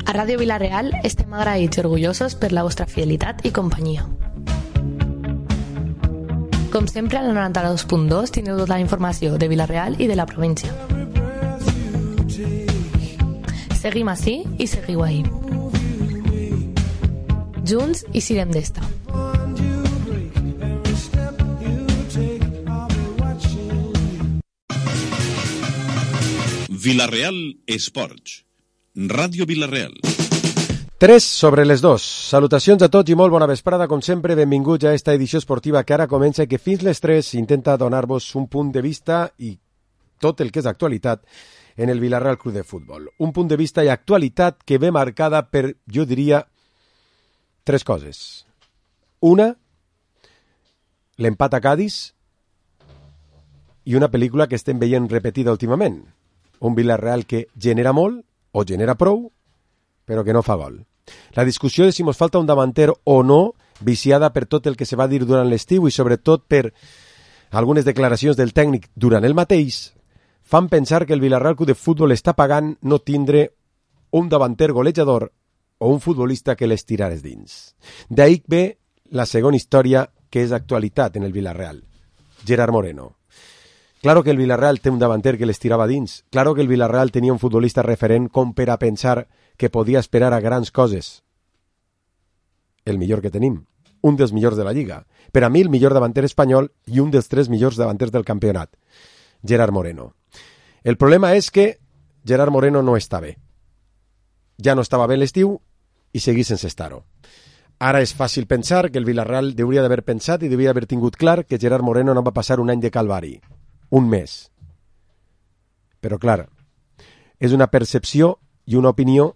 A Ràdio Vila-real estem agraïts i orgullosos per la vostra fidelitat i companyia. Com sempre, al 92.2 tindreu tota la informació de Vila-real i de la província. Seguim ací i seguiu ahí. Junts i sirem d'esta. Vila-real Esports. Ràdio Vila-real. 3 sobre les 2. Salutacions a tots i molt bona vesprada. Com sempre, benvinguts a esta edició esportiva que ara comença i que fins les 3 intenta donar-vos un punt de vista i tot el que és actualitat en el Vila-real Club de Futbol. Un punt de vista i actualitat que ve marcada per, jo diria, 3 coses. Una, l'empat a Cadis i una pel·lícula que estem veient repetida últimament. Un Vila-real que genera molt o genera prou, però que no fa gol. La discussió de si mos falta un davanter o no, viciada per tot el que se va dir durant l'estiu i sobretot per algunes declaracions del tècnic durant el mateix, fan pensar que el Vila-real Club de Futbol està pagant no tindre un davanter golejador o un futbolista que les tirares dins. D'ahí ve la segona història que és actualitat en el Vila-real. Gerard Moreno. Claro que el Vila-real té un davanter que les tirava dins. Claro que el Vila-real tenia un futbolista referent com per a pensar que podia esperar a grans coses. El millor que tenim. Un dels millors de la Lliga. Per a mi, el millor davanter espanyol i un dels 3 millors davanters del campionat. Gerard Moreno. El problema és que Gerard Moreno no està bé. Ja no estava bé l'estiu i seguís sense estar-ho. Ara és fàcil pensar que el Vila-real hauria d'haver pensat i hauria d'haver tingut clar que Gerard Moreno no va passar un any de calvari. Un mes. Però, clar, és una percepció i una opinió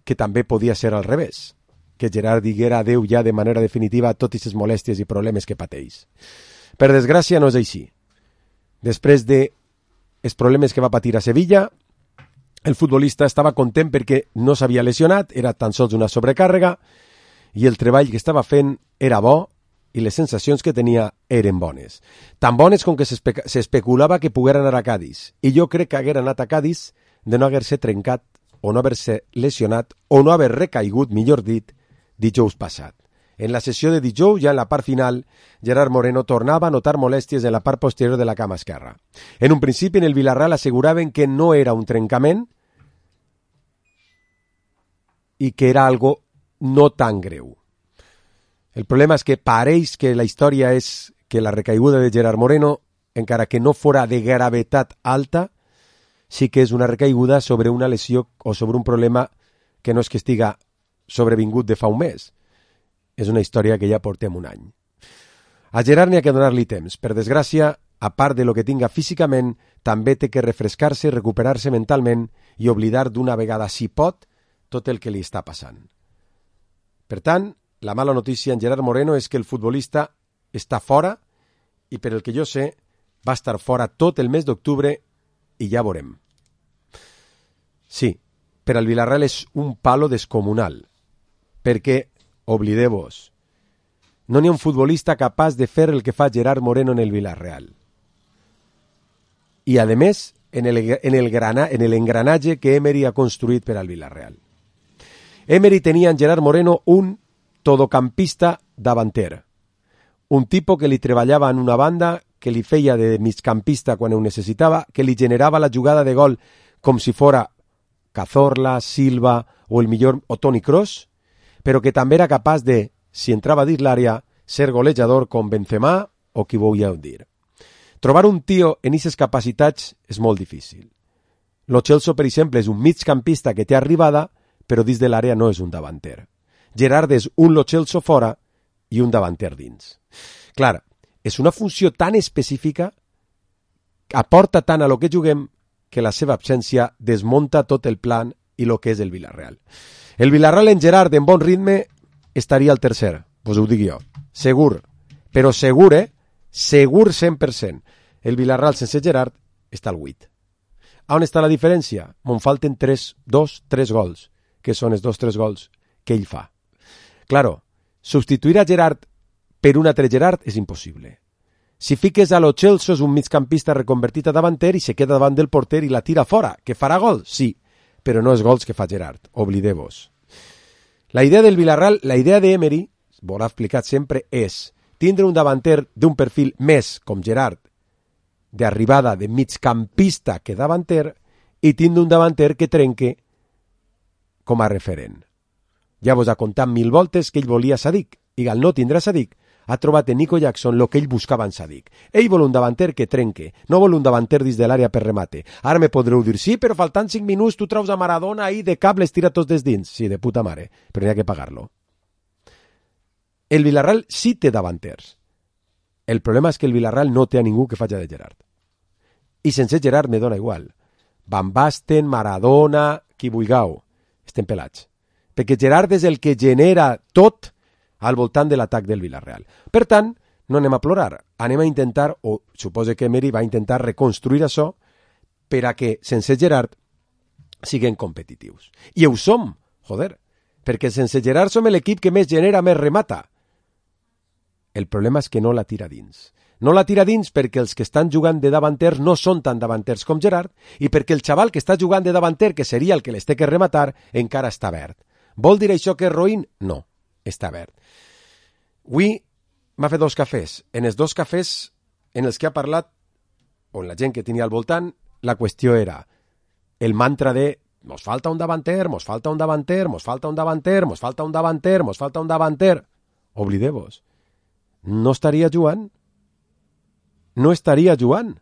que també podia ser al revés, que Gerard diguera adeu ja de manera definitiva a totes les molèsties i problemes que pateix. Per desgràcia no és així. Després de els problemes que va patir a Sevilla, el futbolista estava content perquè no s'havia lesionat, era tan sols una sobrecàrrega, i el treball que estava fent era bo, i les sensacions que tenia eren bones. Tan bones com que s'especulava que poguera anar a Cadis. I jo crec que haguera anat a Cadis de no haver-se trencat o no haver-se lesionat o no haver recaigut, millor dit, dijous passat. En la sessió de dijous, ja en la part final, Gerard Moreno tornava a notar molèsties en la part posterior de la cama esquerra. En un principi, en el Vila-real asseguraven que no era un trencament i que era algo no tan greu. El problema és que pareix que la història és que la recaiguda de Gerard Moreno, encara que no fora de gravetat alta, sí que és una recaiguda sobre una lesió o sobre un problema que no és que estiga sobrevingut de fa un mes. És una història que ja portem un any. A Gerard n'hi ha que donar-li temps. Per desgràcia, a part de lo que tinga físicament, també té que refrescar-se i recuperar-se mentalment i oblidar d'una vegada, si pot, tot el que li està passant. Per tant, la mala notícia en Gerard Moreno és que el futbolista està fora i, per el que jo sé, va estar fora tot el mes d'octubre i ja veurem. Sí, per al Vila-real és un palo descomunal, perquè, oblideu-vos, no n'hi ha un futbolista capaç de fer el que fa Gerard Moreno en el Vila-real. I, a més, en l'engranatge que Emery ha construït per al Vila-real. Emery tenia en Gerard Moreno un todocampista davanter. Un tipo que li treballava en una banda, que li feia de migcampista quan ho necessitava, que li generava la jugada de gol com si fora Cazorla, Silva o el millor o Toni Kroos, però que també era capaç de, si entrava dins l'àrea, ser golejador com Benzema o qui vulgueu dir. Trobar un tio en aquestes capacitats és molt difícil. Lo Celso, per exemple, és un migcampista que té arribada, però dins de l'àrea no és un davanter. Gerard és un Lo Celso fora i un davanter dins. Clar, és una funció tan específica, aporta tant a lo que juguem, que la seva absència desmunta tot el plan i lo que és el Vila-real. El Vila-real en Gerard, en bon ritme, estaria al tercer, vos ho dic jo. Segur, però segur, segur 100%. El Vila-real sense Gerard està al 8. On està la diferència? Me'n falten 3 gols, que són els 2-3 gols que ell fa. Claro, substituir a Gerard per un altre Gerard és impossible. Si fiques a Lo Celso és un migcampista reconvertit a davanter i se queda davant del porter i la tira fora, que farà gol, sí, però no els gols que fa Gerard, oblideu-vos. La idea del Villarreal, la idea d'Emery, vos l'ha explicat sempre, és tindre un davanter d'un perfil més com Gerard, d'arribada de migcampista que davanter, i tindre un davanter que trenque com a referent. Ja vos ha contat 1000 voltes que ell volia Sadik, i al no tindre Sadik, ha trobat en Nico Jackson el que ell buscava en Sadik. Ell vol un davanter que trenque, no vol un davanter dins de l'àrea per remate. Ara me podreu dir, sí, però faltant 5 minuts tu traus a Maradona ahí de cap, les tira tots des dins. Sí, de puta mare, però n'hi ha que pagar-lo. El Villarreal sí té davanters. El problema és que el Villarreal no té a ningú que faci de Gerard. I sense Gerard me dona igual. Van Basten, Maradona, qui vulgueu. Estem pelats. Perquè Gerard és el que genera tot al voltant de l'atac del Villarreal. Per tant, no anem a plorar. Anem a intentar, o suposo que Emery va intentar reconstruir això per a que, sense Gerard, siguem competitius. I ho som, joder, perquè sense Gerard som l'equip que més genera, més remata. El problema és que no la tira dins. No la tira dins perquè els que estan jugant de davanters no són tan davanters com Gerard i perquè el xaval que està jugant de davanter, que seria el que les té que rematar, encara està verd. Vol dir això que és roïn? No, està verd. Avui m'ha fet 2 cafès. En els 2 cafès en els que ha parlat, on la gent que tenia al voltant, la qüestió era el mantra de mos falta un davanter, mos falta un davanter, mos falta un davanter, mos falta un davanter, mos falta un davanter. Oblideu-vos. No estaria jugant. No estaria jugant.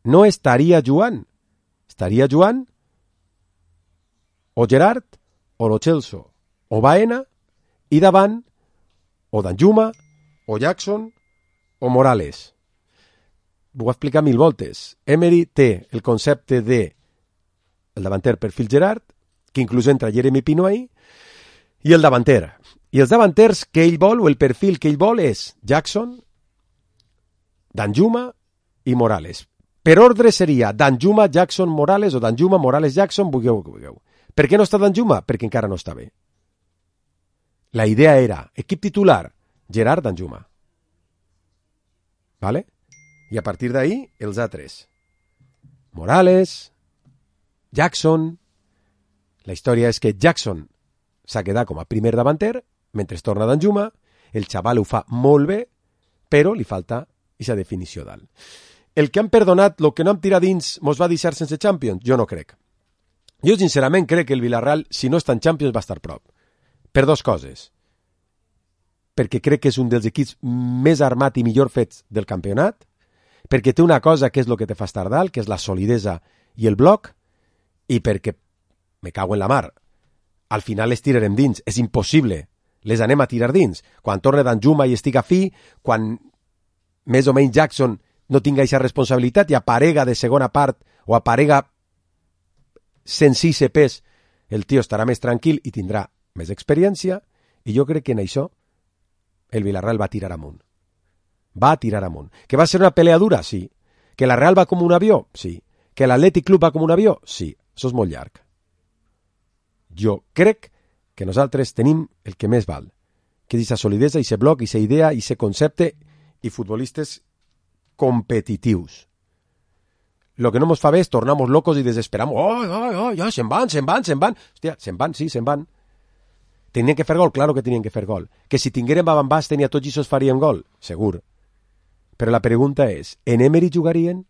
No estaria jugant. Estaria jugant o Gerard, o Lo Celso, o Baena, i davant o Danjuma, o Jackson, o Morales. Ho he explicat 1000 voltes. Emery té el concepte de el davanter perfil Gerard, que inclús entra Jeremy Pino ahí, i el davanter. I els davanters que ell vol, o el perfil que ell vol, és Jackson, Danjuma i Morales. Per ordre seria Danjuma, Jackson, Morales, o Danjuma, Morales, Jackson, vulgueu. Per què no està Danjuma? Perquè encara no està bé. La idea era, equip titular, Gerard, Danjuma. ¿Vale? I a partir d'ahí, els altres. Morales, Jackson. La història és que Jackson s'ha quedat com a primer davanter, mentre torna Danjuma, el xaval ho fa molt bé, però li falta aquesta definició dalt. El que han perdonat, el que no hem tirat dins, mos va deixar sense Champions? Jo no crec. Jo sincerament crec que el Villarreal, si no està en Champions, va estar prop. Per 2 coses. Perquè crec que és un dels equips més armat i millor fets del campionat, perquè té una cosa que és el que te fa estar dalt, que és la solidesa i el bloc, i perquè, me cago en la mar, al final les tirarem dins. És impossible. Les anem a tirar dins. Quan torne Danjuma i estiga fi, quan més o menys Jackson no tinga aquesta responsabilitat i aparega de segona part o aparega sense pes, el tio estarà més tranquil i tindrà més experiència, i jo crec que en això el Villarreal va tirar amunt. Va tirar amunt. Que va ser una pelea dura? Sí. Que la Real va com un avió? Sí. Que l'Atlètic Club va com un avió? Sí. Això és molt llarg. Jo crec que nosaltres tenim el que més val, que és aquesta solidesa, aquest bloc, aquesta idea, aquest concepte, i futbolistes competitius. Lo que no nos fa bé és tornar-nos locos i desesperamos. Oh, ja, se'n van. Hòstia, se'n van, sí, se'n van. Tenien que fer gol? Claro que tenien que fer gol. Que si tingueren Van Basten i a tots ells farien gol? Segur. Però la pregunta és, en Emery jugarien?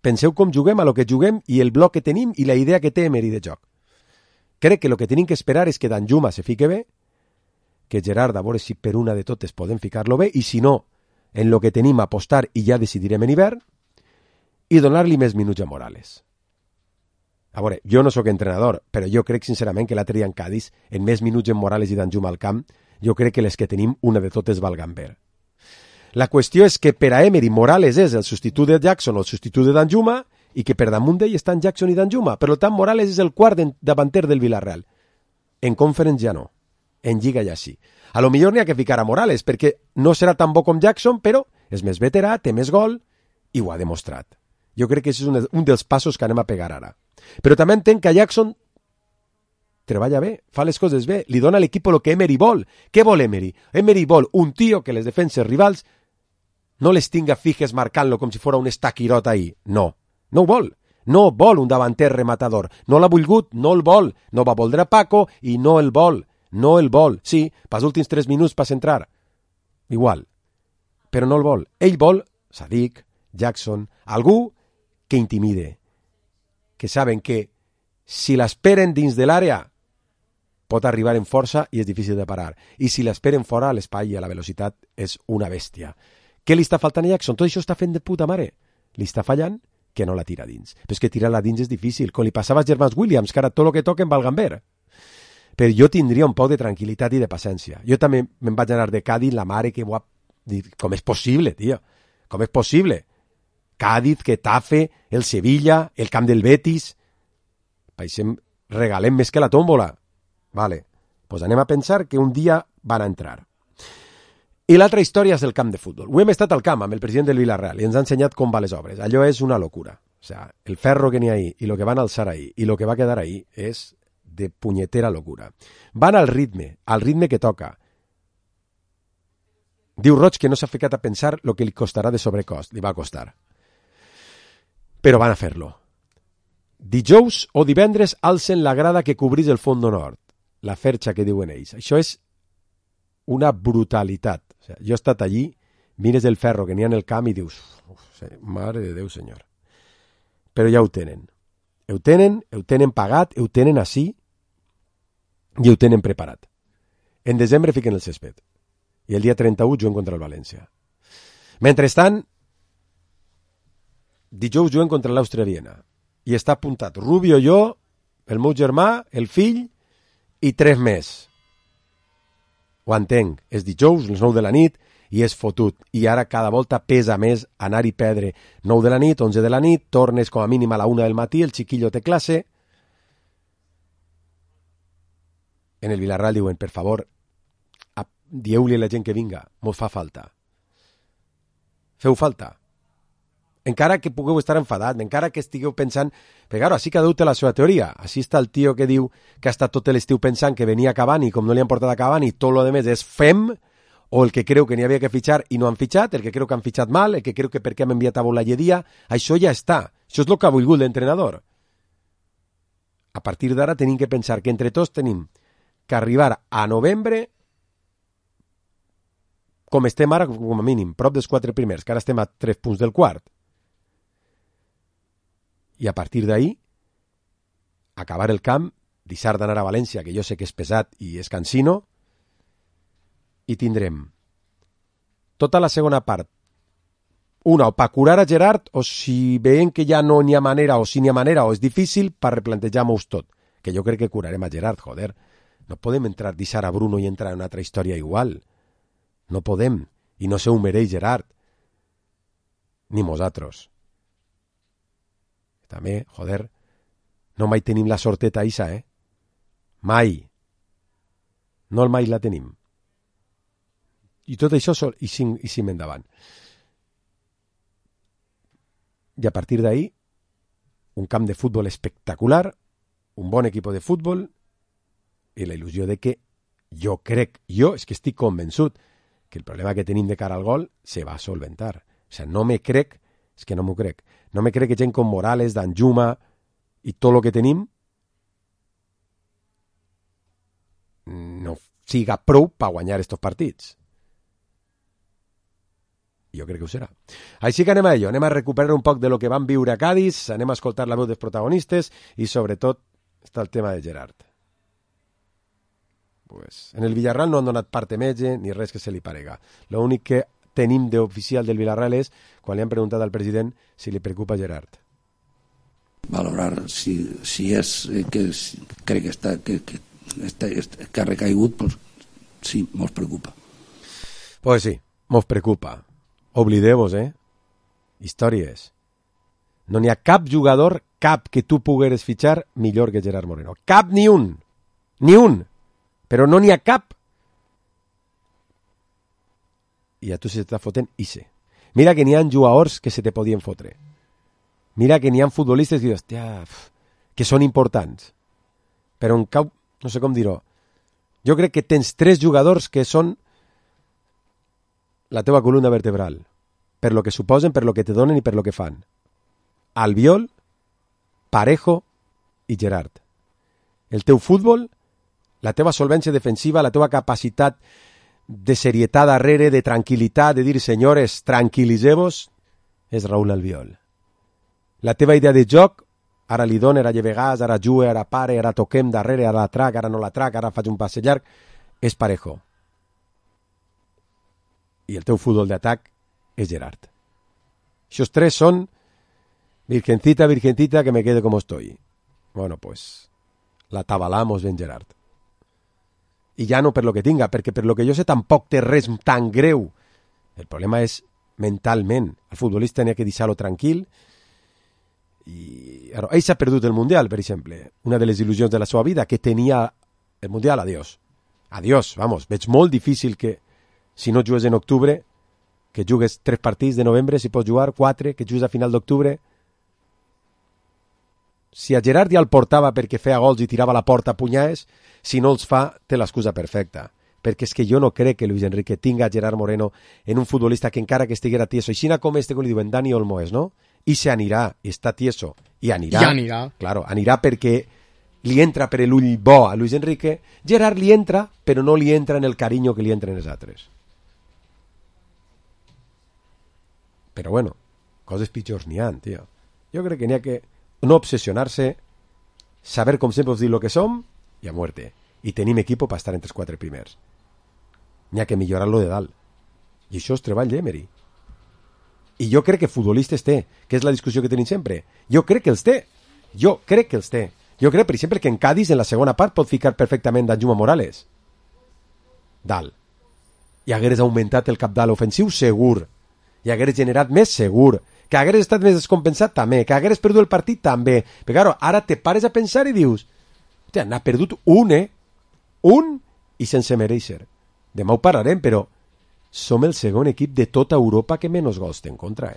Penseu com juguem, a lo que juguem i el bloc que tenim i la idea que té Emery de joc. Crec que el que tenim que esperar és que Danjuma se fique bé, que Gerard, a veure si per una de totes podem ficar-lo bé, i si no, en lo que tenim apostar i ja decidirem en hivern, i donar-li més minuts a Morales. A veure, jo no sóc entrenador, però jo crec sincerament que l'altre dia en Cádiz, en més minuts en Morales i Danjuma al camp, jo crec que les que tenim una de totes valgan bé. La qüestió és que per a Emery Morales és el substitut de Jackson o el substitut de Danjuma, i que per damunt d'ell estan Jackson i Danjuma. Per tant, Morales és el quart davanter del Villarreal. En Conference ja no. En Lliga ja sí. A lo millor n'hi ha que ficar a Morales, perquè no serà tan bo com Jackson, però és més veterà, té més gol, i ho ha demostrat. Jo crec que és un dels passos que anem a pegar ara. Però també entenc que Jackson treballa bé, fa les coses bé, li dona a l'equip el que Emery vol. Què vol Emery? Emery vol un tio que les defenses rivals no les tinga fijes marcant-lo com si fos un estaquirot ahí. No ho vol. No vol un davanter rematador. No l'ha volgut, no el vol. No va voldre Paco i no el vol. No el vol. Sí, pels últims 3 minuts per entrar. Igual. Però no el vol. Ell vol Sadik, Jackson, algú que intimide. Que saben que si l'esperen dins de l'àrea pot arribar en força i és difícil de parar. I si l'esperen fora, l'espai i a la velocitat és una bèstia. Què li està faltant a Jackson? Tot això està fent de puta mare. Li està fallant que no la tira dins. Però és que tirar-la dins és difícil. Com li passava a Gervans Williams, que ara tot el que toquen valgan ver. Però jo tindria un poc de tranquil·litat i de paciència. Jo també me'n vaig anar de Cádiz, la mare que ho ha dit. Com és possible, tio? Com és possible? Cádiz, Getafe, el Sevilla, el camp del Betis. Paixem, regalem més que la tómbola. Vale, pues anem a pensar que un dia van a entrar. I l'altra història és el camp de futbol. Ho hem estat al camp amb el president del Villarreal i ens ha ensenyat com va les obres. Allò és una locura. O sea, el ferro que n'hi ha ahí i lo que van alçar ahí i lo que va quedar ahí és de punyetera locura. Van al ritme que toca. Diu Roig que no s'ha ficat a pensar lo que li costarà de sobrecost. Li va costar. Però van a fer-lo. Dijous o divendres alcen la grada que cobrís el Font Nord. La ferxa que diuen ells. Això és una brutalitat. O sigui, jo he estat allí, mires el ferro que n'hi ha en el camp i dius, mare de Déu, senyor. Però ja ho tenen. Ho tenen pagat, ho tenen així i ho tenen preparat. En desembre fiquen el césped. I el dia 31 juguen contra el València. Mentrestant, dijous juguen contra l'Àustria Viena. I està apuntat Rubio, jo, el meu germà, el fill i 3 més. Ho entenc, és dijous, les 9 de la nit, i és fotut. I ara cada volta pesa més anar i perdre. 9 de la nit, 11 de la nit, tornes com a mínim a la 1 del matí, el xiquillo té classe. En el Villarreal diuen, per favor, dieu-li a la gent que vinga, mos fa falta. Feu falta. Encara que pugueu estar enfadat, encara que estigueu pensant... Però, claro, així cada un té la seva teoria. Així està el tio que diu que ha estat tot l'estiu pensant que venia Cavani, com no li han portat a Cavani, tot lo demés és fem, o el que creu que n'hi havia que fitxar i no han fitxat, el que creu que han fitxat mal, el que creu que per què han enviat a Boulayedia, això ja està. Això és el que ha volgut l'entrenador. A partir d'ara tenim que pensar que entre tots tenim que arribar a novembre com estem ara, com a mínim, prop dels 4 primers, que ara estem a 3 punts del quart. I a partir d'ahí, acabar el camp, deixar d'anar a València, que jo sé que és pesat i és cansino, i tindrem tota la segona part, una, o per curar a Gerard, o si veiem que ja no n'hi ha manera, o si n'hi ha manera, o és difícil, per replantejar-nos tot. Que jo crec que curarem a Gerard, joder. No podem entrar, deixar a Bruno i entrar en una altra història igual. No podem, i no se ho mereix Gerard. Ni nosaltres. També, joder, no mai tenim la sorteta isa, Mai. No el mai la tenim. I tot això i sim endavant. I a partir d'ahí, un camp de futbol espectacular, un bon equip de futbol i la il·lusió de que jo és que estic convençut que el problema que tenim de cara al gol se va solventar. O sigui, no me crec, és que no m'ho crec. No me crec que gent com Morales, Danjuma i tot el que tenim no siga prou per guanyar estos partits. Jo crec que ho serà. Així que anem a ello, anem a recuperar un poc de lo que vam viure a Cádiz, anem a escoltar la veu dels protagonistes i sobretot està el tema de Gerard. Pues, en el Villarreal no han donat parte metge ni res que se li parega. L'únic que tenim d'oficial del Villarreal és quan li han preguntat al president si li preocupa Gerard. Valorar si és que crec que ha recaigut, pues, sí, mos preocupa. Pues sí, mos preocupa. Oblideu-vos, històries. No n'hi ha cap jugador, cap que tu pogueres fitxar millor que Gerard Moreno. Cap, ni un. Ni un. Però no n'hi ha cap. I a tu se t'està fotent ixe. Mira que n'hi ha jugadors que se te podien fotre. Mira que n'hi ha futbolistes que dius, hòstia, que són importants. Però en cap, no sé com dir-ho, jo crec que tens 3 jugadors que són la teva columna vertebral. Per lo que suposen, per lo que te donen i per lo que fan. Albiol, Parejo i Gerard. El teu futbol, la teva solvència defensiva, la teva capacitat de serietat darrere, de tranquil·litat, de dir, senyores, tranquil·liseu-vos, és Raúl Albiol. La teva idea de joc, ara li dono, ara llevegàs, ara jugue, ara pare, ara toquem darrere, ara la trac, ara no la trac, ara faig un passe llarg, és Parejo. I el teu futbol d'atac és Gerard. Aquests tres són virgencita, virgencita, que me quede como estoy. Bueno, pues la tabalamos ben Gerard. I ja no per lo que tinga, perquè per lo que jo sé tampoc té res tan greu. El problema és mentalment. El futbolista n'hi ha que deixar-lo tranquil. I ell s'ha perdut el Mundial, per exemple. Una de les il·lusions de la seva vida, que tenia el Mundial, adiós. Adiós, vamos. Veig molt difícil que, si no jugues en octubre, que jugues 3 partits de novembre, si pots jugar 4, que jugues a final d'octubre. Si a Gerard ja el portava perquè feia gols i tirava la porta a punyades, si no els fa, té l'excusa perfecta. Perquè és que jo no crec que Luis Enrique tinga a Gerard Moreno en un futbolista que encara que estiguera tieso, així com com li diuen Dani Olmo és, no? I se anirà, està tieso, i anirà. Ja anirà. Claro, anirà perquè li entra per l'ull bo a Luis Enrique. Gerard li entra, però no li entra en el carinyo que li entren els altres. Però bueno, coses pitjors n'hi ha, tio. Jo crec que n'hi ha que no obsessionar-se, saber com sempre us dic lo que som i a muerte. I tenim equipo per estar entre els 4 primers. N'hi ha que millorar-lo de dalt. I això és treball d'Emery. I jo crec que futbolistes té, que és la discussió que tenim sempre. Jo crec que els té. Jo crec, per exemple, que en Cádiz, en la segona part, pot ficar perfectament Danjuma Morales. Dalt. I hagueres augmentat el capdalt ofensiu, segur. I hagueres generat més, segur. Que hagueres estat més descompensat, també. Que hagueres perdut el partit, també. Però, claro, ara te pares a pensar i dius, hòstia, n'ha perdut un, un i sense mereixer. Demà ho parlarem, però som el segon equip de tota Europa que menys gols té en contra,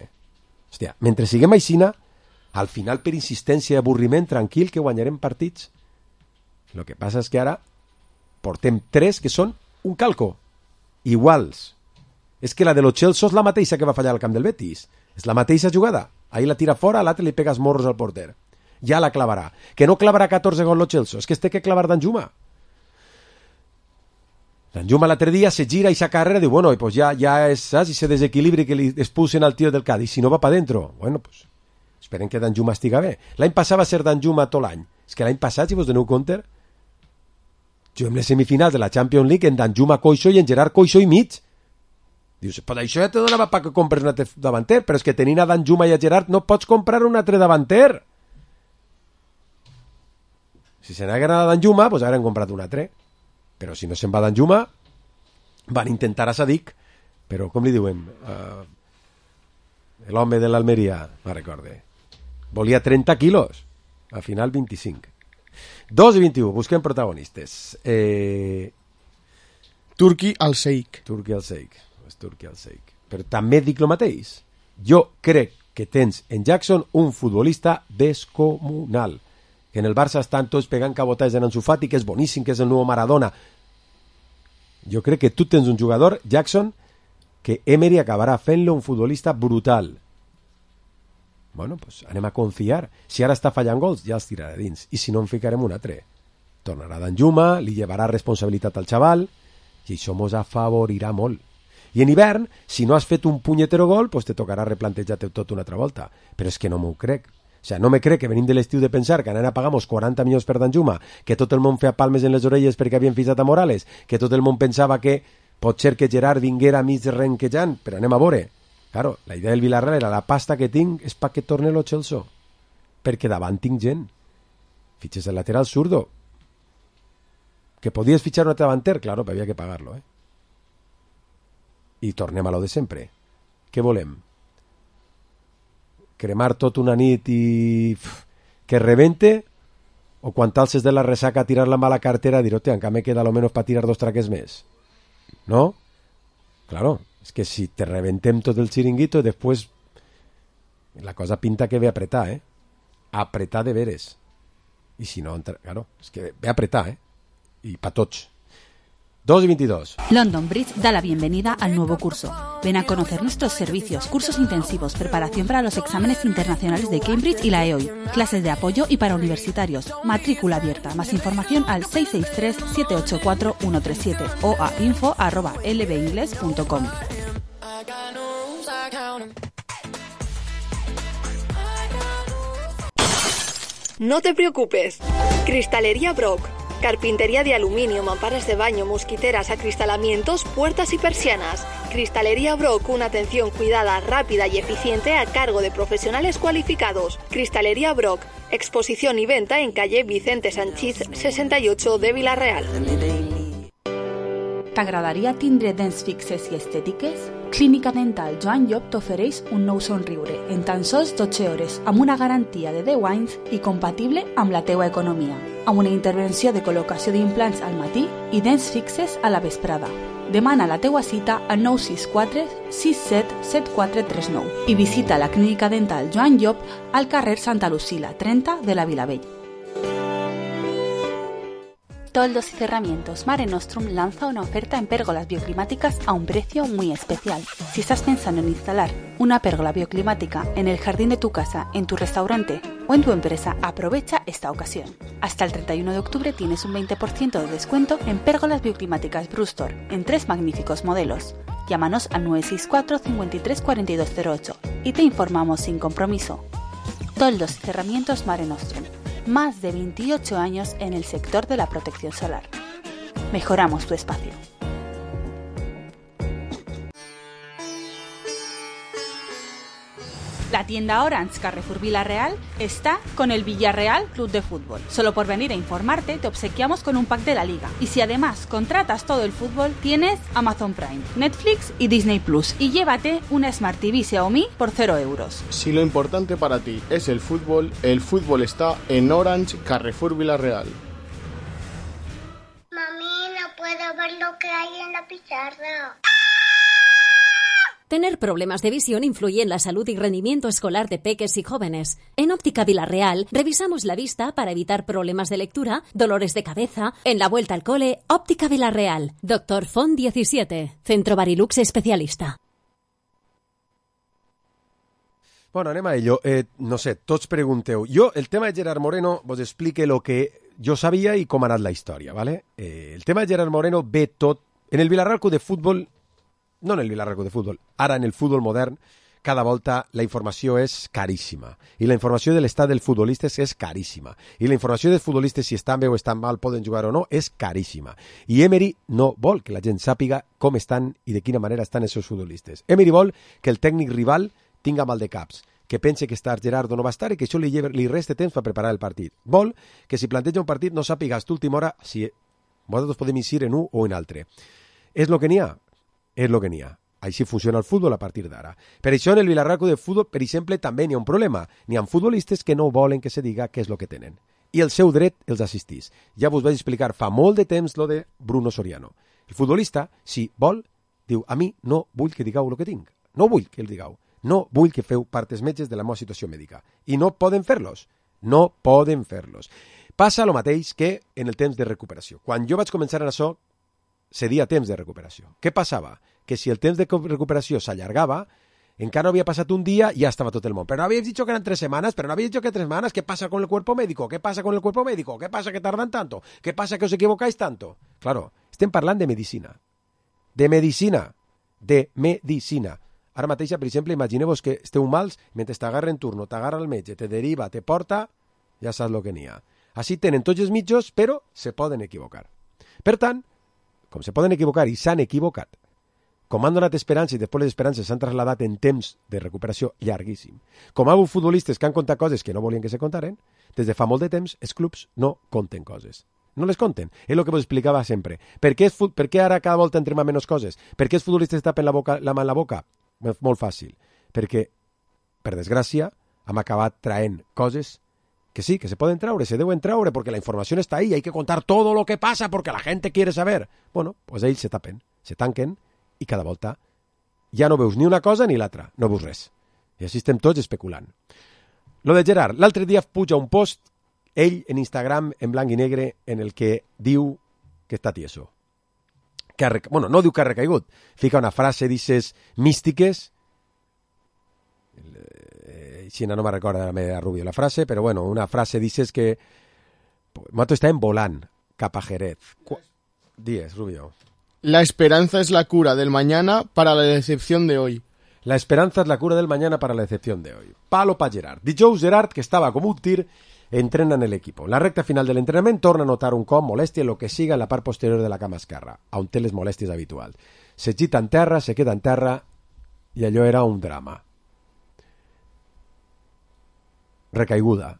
Hòstia, mentre siguem aixina, al final per insistència i avorriment, tranquil, que guanyarem partits. El que passa és que ara portem 3 que són un calco, iguals. És que la de los Chelsea és la mateixa que va fallar al camp del Betis. És la mateixa jugada. Ahir la tira fora, a l'altre li pegas morros al porter. Ja la clavarà. Que no clavarà 14 gols los Chelsea, és que es té que clavar Danjuma. Danjuma l'altre dia se gira i sa carrera diu, bueno, pues ya es, ¿sabes? Y se desequilibri que li expulsen al tío del Cádiz, si no va para dentro. Bueno, pues esperen que Danjuma estiga bé. L'any passat va ser Danjuma tot l'any. És que l'any passat, si vos doneu compte, juguem les semifinals de la Champions League en Danjuma coixo i en Gerard coixo i mig. Dius, però això ja te donava per que compres un altre davanter, però és que tenint a Danjuma i a Gerard no pots comprar un altre davanter. Si se n'hagueren a Danjuma, doncs hagueren comprat un altre. Però si no se'n va Danjuma, van intentar a Sadik, però com li diuen? L'home de l'Almeria, no recorde. Volia 30 quilos, al final 25. 2 i 21, busquem protagonistes. Turki al Sheikh. Però també dic el mateix. Jo crec que tens en Jackson un futbolista descomunal. Que en el Barça estan tots pegant cabotades en Ansu Fati, que és boníssim, que és el nou Maradona. Jo crec que tu tens un jugador, Jackson, que Emery acabarà fent-lo un futbolista brutal. Bueno, pues anem a confiar. Si ara està fallant gols, ja els tirarà dins. I si no, en ficarem un altre. Tornarà Danjuma, li llevarà responsabilitat al xaval, i això mos afavorirà molt. I en hivern, si no has fet un punyetero gol, pues te tocarà replantejar-te tot una altra volta. Però és que no m'ho crec. O sea, no me crec que venim de l'estiu de pensar que anant a pagar 40 milions per Danjuma, que tot el món feia palmes en les orelles perquè havien fixat a Morales, que tot el món pensava que pot ser que Gerard vinguera mig renquejant, però anem a veure. Claro, la idea del Villarreal era la pasta que tinc és perquè torne lo Chelsea, perquè davant tinc gent. Fitxes el lateral zurdo. Que podies fitxar un altre davanter, claro, però havia que pagar-lo, I tornem a lo de sempre. Què volem? Cremar tot una nit i que rebente, o quan t'alces de la ressaca tirar la mala cartera dir, hòstia, encara me queda a lo menos para tirar 2 traques més, ¿no? Claro, es que si te reventem tot el chiringuito después la cosa pinta que ve a apretar, apretar de veres, i si no, claro, és que ve a apretar, i pa tots. 2 y 22. London Bridge da la bienvenida al nuevo curso. Ven a conocer nuestros servicios, cursos intensivos, preparación para los exámenes internacionales de Cambridge y la EOI, clases de apoyo y para universitarios, matrícula abierta. Más información al 663-784-137 o a info@lbingles.com. No te preocupes. Cristalería Brock. Carpintería de aluminio, mamparas de baño, mosquiteras, acristalamientos, puertas y persianas. Cristalería Brock, una atención cuidada, rápida y eficiente a cargo de profesionales cualificados. Cristalería Brock, exposición y venta en calle Vicente Sanchís 68 de Vila-real. T'agradaria tindre dents fixes i estètiques? Clínica Dental Joan Llop t'ofereix un nou somriure en tan sols 12 hores amb una garantia de 10 anys i compatible amb la teua economia, amb una intervenció de col·locació d'implants al matí i dents fixes a la vesprada. Demana la teua cita al 964 67 7439 i visita la Clínica Dental Joan Llop al carrer Santa Lucila 30 de la Vilavella. Toldos y Cerramientos Mare Nostrum lanza una oferta en pérgolas bioclimáticas a un precio muy especial. Si estás pensando en instalar una pérgola bioclimática en el jardín de tu casa, en tu restaurante o en tu empresa, aprovecha esta ocasión. Hasta el 31 de octubre tienes un 20% de descuento en pérgolas bioclimáticas Brustor en 3 magníficos modelos. Llámanos al 964 53 4208 y te informamos sin compromiso. Toldos y Cerramientos Mare Nostrum. Más de 28 años en el sector de la protección solar. Mejoramos tu espacio. La tienda Orange Carrefour Vila-real está con el Villarreal Club de Fútbol. Solo por venir a informarte te obsequiamos con un pack de la liga. Y si además contratas todo el fútbol, tienes Amazon Prime, Netflix y Disney Plus. Y llévate una Smart TV Xiaomi por 0 euros. Si lo importante para ti es el fútbol está en Orange Carrefour Vila-real. Mami, no puedo ver lo que hay en la pizarra. Tener problemas de visión influye en la salud y rendimiento escolar de peques y jóvenes. En Óptica Vila-real revisamos la vista para evitar problemas de lectura, dolores de cabeza. En la vuelta al cole, Óptica Vila-real. Dr. Font 17, Centro Barilux especialista. Bueno, anem a ello. No sé, tots pregunteu. Jo, el tema de Gerard Moreno, vos explique lo que jo sabia i com ha anat la història, ¿vale? El tema de Gerard Moreno ve tot... En el Villarreal Club de Futbol... No en el Villarreal Club de Futbol, ara en el futbol modern, cada volta la informació és caríssima. I la informació de l'estat dels futbolistes és caríssima. I la informació dels futbolistes, si estan bé o estan mal, poden jugar o no, és caríssima. I Emery no vol que la gent sàpiga com estan i de quina manera estan els seus futbolistes. Emery vol que el tècnic rival tinga mal de caps, que pense que estar Gerardo no va estar i que això li reste temps per preparar el partit. Vol que si planteja un partit no sàpiga hasta última hora si vosaltres podem incidir en un o en altre. És el que n'hi ha. És el que n'hi ha. Així funciona el futbol a partir d'ara. Per això en el Villarreal Club de Futbol, per exemple, també n'hi ha un problema. N'hi ha futbolistes que no volen que se diga què és el que tenen. I el seu dret els assistís. Ja vos vaig explicar fa molt de temps lo de Bruno Soriano. El futbolista, si vol, diu, a mi no vull que digueu el que tinc. No vull que el digueu. No vull que feu partes metges de la meva situació mèdica. I no poden fer-los. No poden fer-los. Passa el mateix que en el temps de recuperació. Quan jo vaig començar en això, cedia temps de recuperació. Què passava? Que si el temps de recuperació s'allargava, encara no había pasado un día y ya estaba todo el mundo. Pero no habéis dicho que eran 3 semanas, pero no habéis dicho que 3 semanas. ¿Qué pasa con el cuerpo médico? ¿Qué pasa con el cuerpo médico? ¿Qué pasa que tardan tanto? ¿Qué pasa que os equivocáis tanto? Claro, estem parlant de medicina. De medicina. De medicina. Ara mateix, per exemple, imagineu-vos que esteu mals, mentre t'agarra en turno, t'agarra el metge, te deriva, te porta, ja saps el que n'hi ha. Així tenen tots els mitjos, però se poden equivocar. Per tant, com se poden equivocar i s'han equivocat, com han donat esperança i després les esperances s'han trasladat en temps de recuperació llarguíssim, com ha hagut futbolistes que han contat coses que no volien que se contaren, des de fa molt de temps els clubs no conten coses. No les conten. És el que vos explicava sempre. Per què ara cada volta entrem a menys coses? Per què els futbolistes tapen la mà en la boca? Molt fàcil. Perquè, per desgràcia, hem acabat traent coses que sí, que se poden traure, se deuen traure, perquè la informació està ahí, hay que contar todo lo que pasa porque la gente quiere saber. Bueno, pues ells se tapen, se tanquen, i cada volta ja no veus ni una cosa ni l'altra, no veus res. I així estem tots especulant. Lo de Gerard, l'altre dia puja un post, ell en Instagram, en blanc i negre, en el que diu que està tieso. bueno, no diu que ha recaigut, fica una frase d'aquestes místiques, Xina no me recorda a Rubio la frase, però bueno, una frase d'aquestes que nosaltres estàvem volant cap a Jerez. Dies, Rubio. La esperanza es la cura del mañana para la decepción de hoy. La esperanza es la cura del mañana para la decepción de hoy. Palo pa Gerard. Dijous Gerard, que estava com un tir, entrena en l'equip. La recta final de l'entrenament torna a notar un cop molèstia en lo que siga en la part posterior de la cama esquerra, on té les molèsties habituals. Se gita en terra, se queda en terra, i allò era un drama. Recaiguda.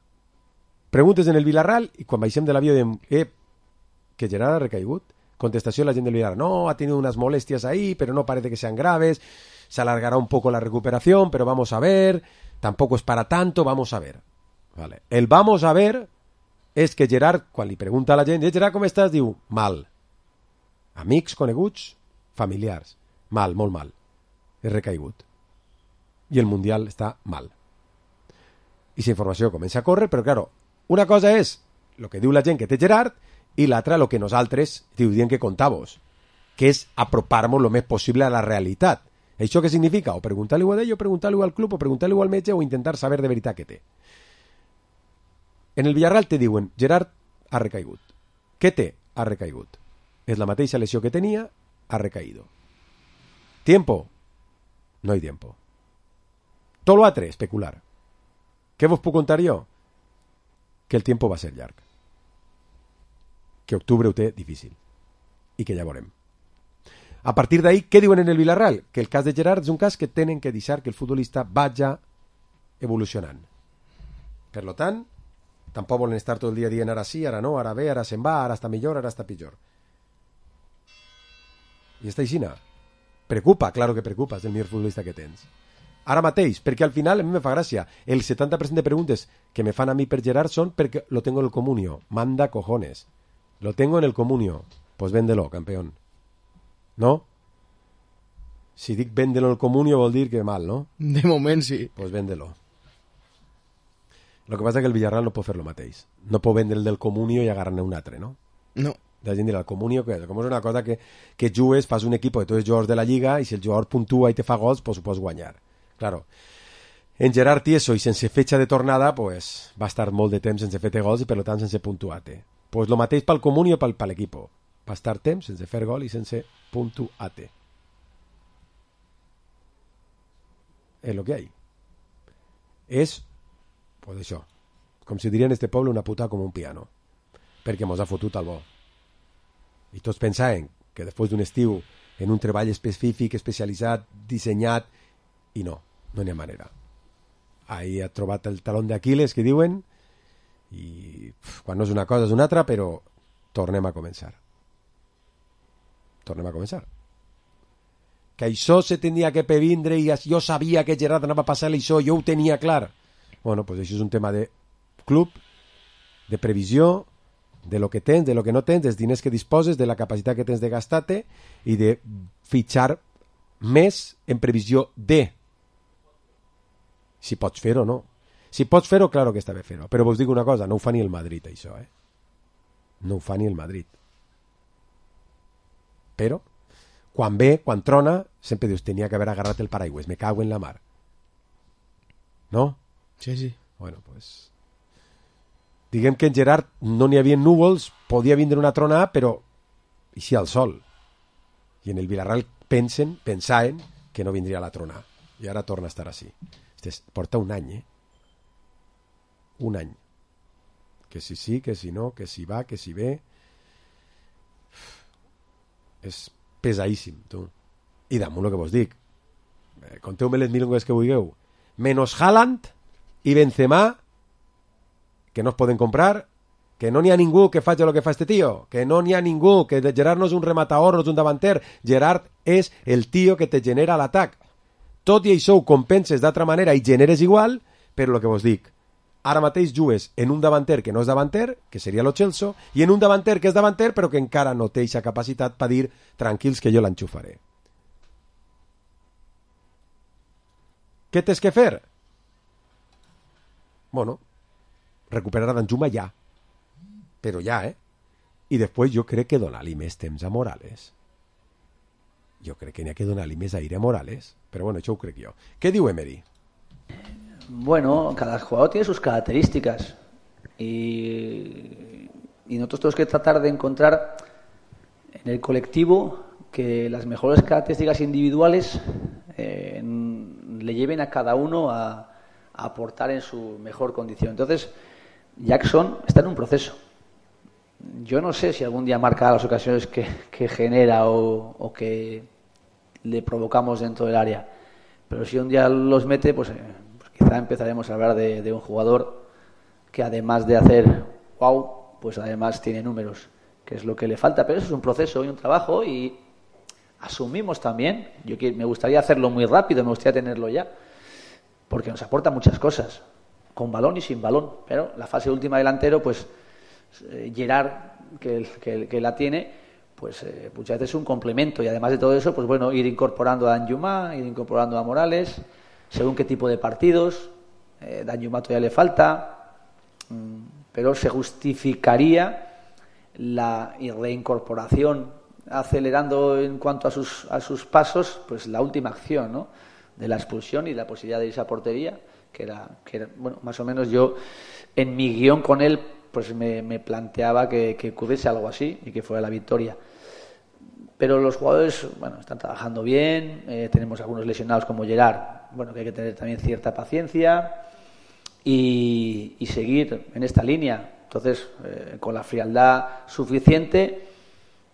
Preguntes en el Villarreal, i quan baixem de l'avió diem, que Gerard ha recaigut? Contestació de la gent del Villarreal, no, ha tenido unas molestias ahí, pero no parece que sean graves, se alargará un poco la recuperación, pero vamos a ver, tampoco es para tanto, vamos a ver. Vale. El vamos a ver és que Gerard, quan li pregunta a la gent, Gerard, com estàs? Diu, mal. Amics, coneguts, familiars. Mal, molt mal. És recaigut. I el Mundial està mal. I la informació comença a córrer, però, claro, una cosa és el que diu la gent que té Gerard i l'altra el que nosaltres diem que contàvos, que és apropar-nos el més possible a la realitat. Això què significa? O preguntar-li a ell, o preguntar-li al club, o preguntar-li al metge, o intentar saber de veritat què té. En el Villarreal te diuen, Gerard ha recaigut. Què té? Ha recaigut. És la mateixa lesió que tenia, ha recaído. ¿Tiempo? No hay tiempo. Todo lo altre, especular. Què vos puc contar jo? Que el tiempo va ser llarg. Que octubre ho té difícil. I que ja veurem. A partir d'ahí, què diuen en el Villarreal? Que el cas de Gerard és un cas que tenen que deixar que el futbolista vagi evolucionant. Per lo tant, tampoc volen estar tot el dia dient ara sí, ara no, ara bé, ara se'n va, ara està millor, ara està pitjor. I està aixina. Preocupa, claro que preocupa, és el millor futbolista que tens. Ara mateix, perquè al final a mi me fa gràcia. El 70% de preguntes que me fan a mi per Gerard són perquè lo tengo en el comunio. Manda cojones. Lo tengo en el comunio. Pues véndelo, campeón. ¿No? Si dic véndelo en el comunio vol dir que mal, ¿no? De moment sí. Pues véndelo. Lo que passa és que el Villarreal no pot fer lo mateix. No pot vendre el del comunio i agarrar-ne un altre, no? No. La gent dirà, el comunio, que com és una cosa que jugues, fas un equip de tots els jugadors de la Lliga i si el jugador puntua i te fa gols, pues ho pots guanyar. Claro. En Gerard Tieso i sense fetxa de tornada, pues va estar molt de temps sense fer gols i per tant sense puntuar-te. Pues lo mateix pel comunio i per l'equip. Va estar temps sense fer gol i sense puntuar-te. És lo que hi ha. És, pues això, com si diria en este poble, una puta com un piano. Perquè mos ha fotut al bo. I tots pensaven que després d'un estiu en un treball específic, especialitzat, dissenyat, i no n'hi ha manera. Ahí ha trobat el talón d'Aquiles, que diuen, i quan no és una cosa és una altra, però tornem a començar. Tornem a començar. Que això se tenia que previndre i jo sabia que Gerard anava a passar això, jo ho tenia clar. Bueno, pues això és un tema de club, de previsió, de lo que tens, de lo que no tens, dels diners que disposes, de la capacitat que tens de gastar-te i de fitxar més en previsió de si pots fer-ho o no. Si pots fer-ho, claro que està bé fer-ho. Però vos dic una cosa, no ho fa ni el Madrid, això, No ho fa ni el Madrid. Però, quan ve, quan trona, sempre dius, tenia que haver agarrat el paraigües, me cago en la mar. No? Sí, sí. Bueno, pues... Diguem que en Gerard no n'hi havia núvols, podia vindre una tronada, però eixia el sol. I en el Villarreal pensaven que no vindria la tronada. I ara torna a estar així. Porta un any, Un any. Que si sí, que si no, que si va, que si ve... És pesadíssim, tu. I damunt el que vos dic. Conteu-me les milongues que vulgueu. Menos Haaland i Benzema, que no es poden comprar, que no n'hi ha ningú que faci el que fa este tio, que no n'hi ha ningú, que Gerard no és un rematador, no és un davanter, Gerard és el tio que te genera l'atac. Tot i això ho compenses d'altra manera i generes igual, però el que vos dic, ara mateix jugues en un davanter que no és davanter, que seria lo Chelsea, i en un davanter que és davanter però que encara no té aquesta capacitat per dir tranquils que jo l'enxufaré. Què tens que fer? Bueno, recuperar a Danjuma ja. Però ja, I després jo crec que donar-li més temps a Morales. jo crec que n'hi ha que donar-li més aire a Morales, però bueno, això ho crec jo. Què diu Emery? Bueno, cada jugador tiene sus características y nosotros tenemos que tratar de encontrar en el colectivo que las mejores características individuales le lleven a cada uno a aportar en su mejor condición. Entonces, Jackson está en un proceso. Yo no sé si algún día marcará las ocasiones que genera o que le provocamos dentro del área, pero si un día los mete, pues quizá empezaremos a hablar de un jugador que además de hacer wow, pues además tiene números, que es lo que le falta, pero eso es un proceso y un trabajo y asumimos también, me gustaría hacerlo muy rápido, me gustaría tenerlo ya, porque nos aporta muchas cosas, con balón y sin balón, pero la fase última delantero, pues Gerard, que la tiene, pues muchas veces es un complemento y además de todo eso, pues bueno, ir incorporando a Danjuma, ir incorporando a Morales, según qué tipo de partidos, Danjuma todavía le falta, pero se justificaría la reincorporación acelerando en cuanto a sus pasos, pues la última acción, ¿no?, de la expulsión y la posibilidad de irse a portería, que era bueno, más o menos yo en mi guión con él pues me planteaba que ocurriese algo así y que fuera la victoria. Pero los jugadores, bueno, están trabajando bien, tenemos algunos lesionados como Gerard, bueno, que hay que tener también cierta paciencia y seguir en esta línea. Entonces, con la frialdad suficiente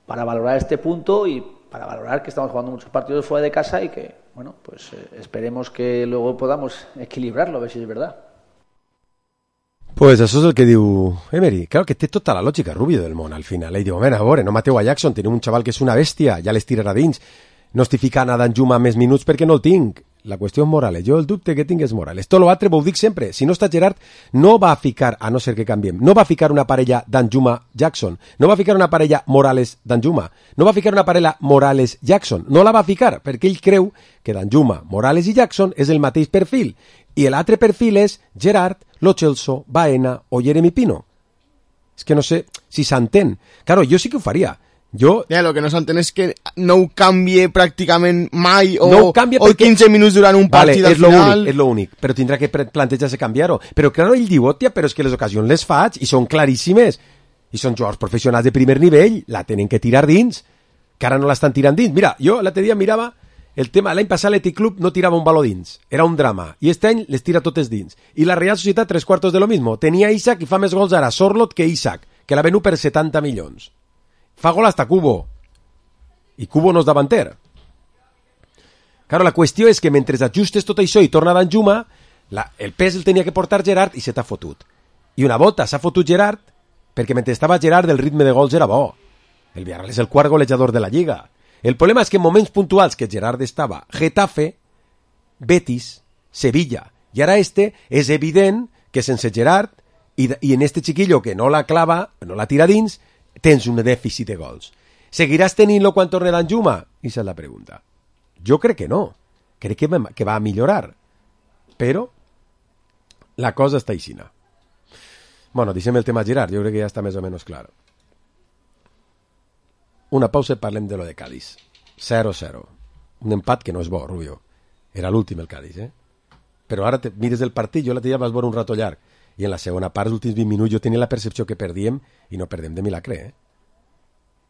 para valorar este punto y para valorar que estamos jugando muchos partidos fuera de casa y que, bueno, pues esperemos que luego podamos equilibrarlo, a ver si es verdad. Pues això és el que diu Emery. Claro que té tota la lògica, Rubio, del món, al final. Ell diu, a veure, no mateu a Jackson, teniu un xaval que és una bèstia, ja les tirarà dins. No estic ficant a Danjuma més minuts perquè no el tinc. La qüestió és Morales. Jo el dubte que tinc és Morales. Tot l'altre ho dic sempre. Si no està Gerard, no va a ficar, a no ser que canviem, no va a ficar una parella Danjuma-Jackson. No va a ficar una parella Morales-Danjuma. No va a ficar una parella Morales-Jackson. No la va a ficar perquè ell creu que Danjuma, Morales i Jackson és el mateix perfil. I l'altre perfil és Gerard, Lo Celso, Baena o Jeremy Pino. És que no sé si s'entén. Claro, jo sí que ho faria. Lo que no s'entén és que no ho canvie pràcticament mai o 15 minuts durant un partit al final. És l'únic, però tindrà que plantejar-se canviar-ho. Però claro, ell diu, hòstia, però és que les ocasions les faig i són claríssimes. I són jugadors professionals de primer nivell, la tenen que tirar dins, que ara no l'estan tirant dins. Mira, jo l'altre dia mirava el tema, l'any passat l'Athletic Club no tirava un baló dins, era un drama, i este any les tira totes dins. I la Real Societat, 3/4 de lo mismo. Tenia Isaac i fa més gols ara Sorloth que Isaac, que l'ha venut per 70 milions. Fa gol hasta Cubo. I Cubo no és davanter. Claro, la qüestió és que mentre ajustes tot això i torna Danjuma, el pes el tenia que portar Gerard i se t'ha fotut. I una volta s'ha fotut Gerard perquè mentre estava Gerard el ritme de gols era bo. El Villarreal és el quart golejador de la Lliga. El problema és que en moments puntuals que Gerard estava Getafe, Betis, Sevilla, i ara és evident que sense Gerard i en este chiquillo que no la clava, no la tira dins, tens un dèficit de gols. Seguiràs tenint-lo quan torni Danjuma? Esa és la pregunta. Jo crec que no. Crec que va a millorar. Però la cosa està aixina. Bueno, deixem el tema Gerard, jo crec que ja està més o menys clar. Una pausa i parlem de lo de Cádiz. 0-0. Un empat que no és bo, Rubio. Era l'últim el Cádiz, Però ara mires el partit, jo l'altre dia vas veure un rato llarg, i en la segona part, els últims 20 minuts, jo tenia la percepció que perdíem, i no perdem de milagre,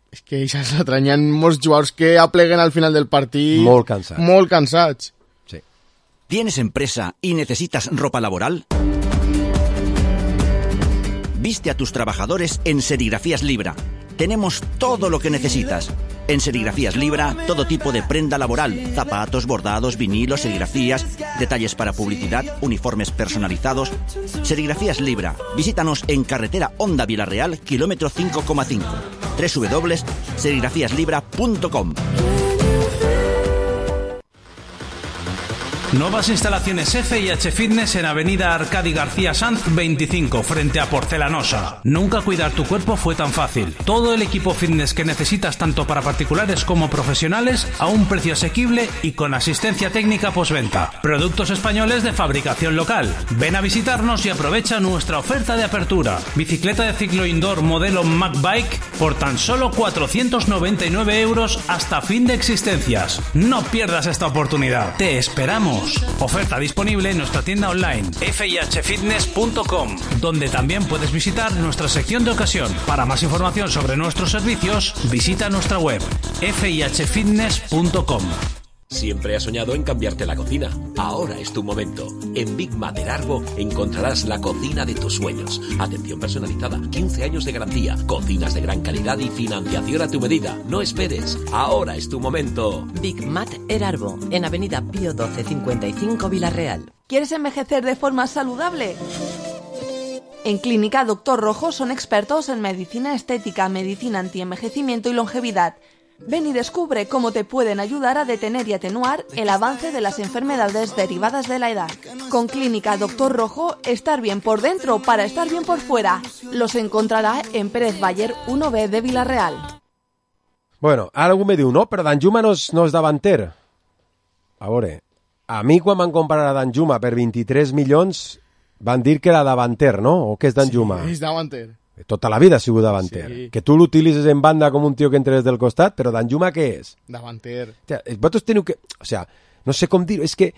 És que això és l'altre, hi ha molts jugadors que apleguen al final del partit... Molt cansats. Molt cansats. Sí. ¿Tienes empresa y necesitas ropa laboral? Viste a tus trabajadores en Serigrafías Libra. Tenemos todo lo que necesitas. En Serigrafías Libra, todo tipo de prenda laboral, zapatos, bordados, vinilos, serigrafías, detalles para publicidad, uniformes personalizados. Serigrafías Libra. Visítanos en carretera Honda Villarreal, kilómetro 5,5. www.serigrafíaslibra.com. Nuevas instalaciones FIH Fitness en Avenida Arcadi García Sanz 25, frente a Porcelanosa. Nunca cuidar tu cuerpo fue tan fácil. Todo el equipo fitness que necesitas tanto para particulares como profesionales a un precio asequible y con asistencia técnica postventa. Productos españoles de fabricación local. Ven a visitarnos y aprovecha nuestra oferta de apertura. Bicicleta de ciclo indoor modelo MacBike por tan solo 499 € hasta fin de existencias. No pierdas esta oportunidad. Te esperamos. Oferta disponible en nuestra tienda online fihfitness.com, donde también puedes visitar nuestra sección de ocasión. Para más información sobre nuestros servicios, visita nuestra web fihfitness.com. Siempre has soñado en cambiarte la cocina. Ahora es tu momento. En Big Mat Erarbo encontrarás la cocina de tus sueños. Atención personalizada, 15 años de garantía, cocinas de gran calidad y financiación a tu medida. No esperes. Ahora es tu momento. Big Mat Erarbo, en Avenida Pío 12 55 Villarreal. ¿Quieres envejecer de forma saludable? En Clínica Doctor Rojo son expertos en medicina estética, medicina antienvejecimiento y longevidad. Ven y descubre cómo te pueden ayudar a detener y atenuar el avance de las enfermedades derivadas de la edad. Con Clínica Doctor Rojo, estar bien por dentro para estar bien por fuera. Los encontrarà en Pérez Baller 1B de Villarreal. Bueno, ara algú me diu, no, però Danjuma no és davanter. A veure, a mi quan van comprar a Danjuma per 23 milions van dir que era davanter, no? O què és Danjuma? Sí, és davanter. Tota la vida ha sigut davanter. Sí. Que tu l'utilitzes en banda com un tio que entra des del costat, però Danjuma què és? Davanter. O sea, vosaltres teniu que... O sea, no sé com dir-ho, és que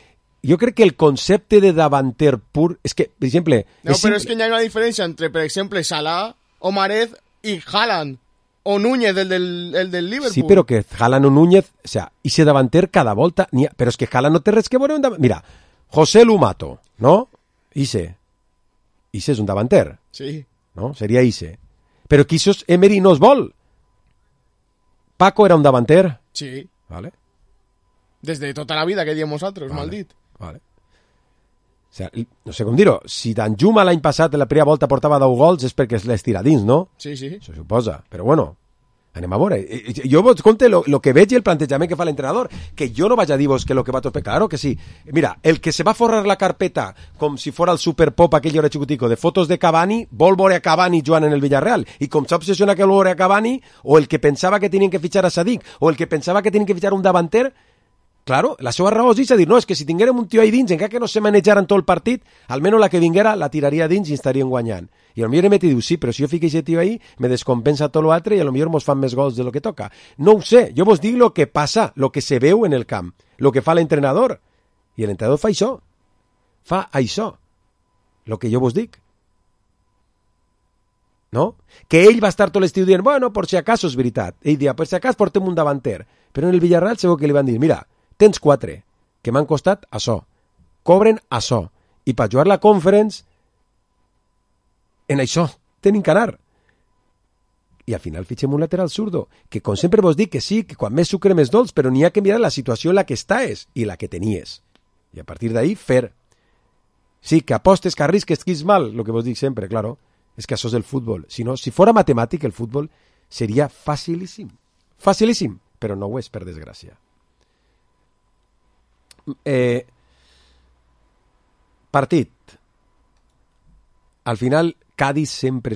jo crec que el concepte de davanter pur... És que, per exemple... No, però és que hi ha una diferència entre, per exemple, Salah, Omarez i Haaland, o Núñez, el del Liverpool. Sí, però que Haaland o Núñez... O sea, ese davanter cada volta... Però és que Haaland no té res que veure un davanter... Mira, José Lumato, no? Ise és un davanter. Sí. No? Seria Ise. Però quizás Emery no es vol. Paco era un davanter. Sí. Vale. Desde tota la vida que diem nosaltres, vale. Maldit. Vale. O sea, no sé com dir-ho. Si Danjuma l'any passat, en la primera volta, portava 10 gols, és perquè les tira dins, no? Sí, sí. Se suposa. Però bueno, anem a veure. Jo vos conte lo que veig i el plantejament que fa l'entrenador, que jo no vaig a dir-vos que lo que va tot... Claro que sí. Mira, el que se va forrar la carpeta com si fora el Superpop aquell hora xicutico de fotos de Cavani, vol veure a Cavani jugant en el Villarreal. I com s'ha obsessionat que vol veure a Cavani, o el que pensava que tenien que fitxar a Sadik, o el que pensava que tenien que fitxar un davanter... Claro, la seva raó és dir, no, és que si tinguérem un tio ahí dins, encara que no se manejaran tot el partit, almenys la que vinguera la tiraria dins i estarien guanyant. I potser Emet diu, sí, però si jo fico aquest tio ahí, me descompensa tot l'altre i potser mos fan més gols de lo que toca. No ho sé, jo vos dic lo que passa, lo que se veu en el camp, lo que fa l'entrenador. I l'entrenador fa això. Fa això. Lo que jo vos dic. No? Que ell va estar tot l'estiu dient, bueno, por si acaso és veritat. Ell dia, per si acaso portem un davanter. Però en el Villarreal segur que li van dir, mira, tens 4, que m'han costat això. Cobren això. I per jugar la Conference, en això tenen que anar. I al final fitxem un lateral zurdo, que com sempre vos dic que sí, que quan més sucre més dolç, però n'hi ha que mirar la situació en la que estàs i la que tenies. I a partir d'ahí, fer. Sí, que apostes, que arrisques, que és mal, el que vos dic sempre, claro, és que això és el futbol. Si no, si fora matemàtic, el futbol seria facilíssim. Facilíssim, però no ho és, per desgràcia. Partit. Al final, Cádiz sempre...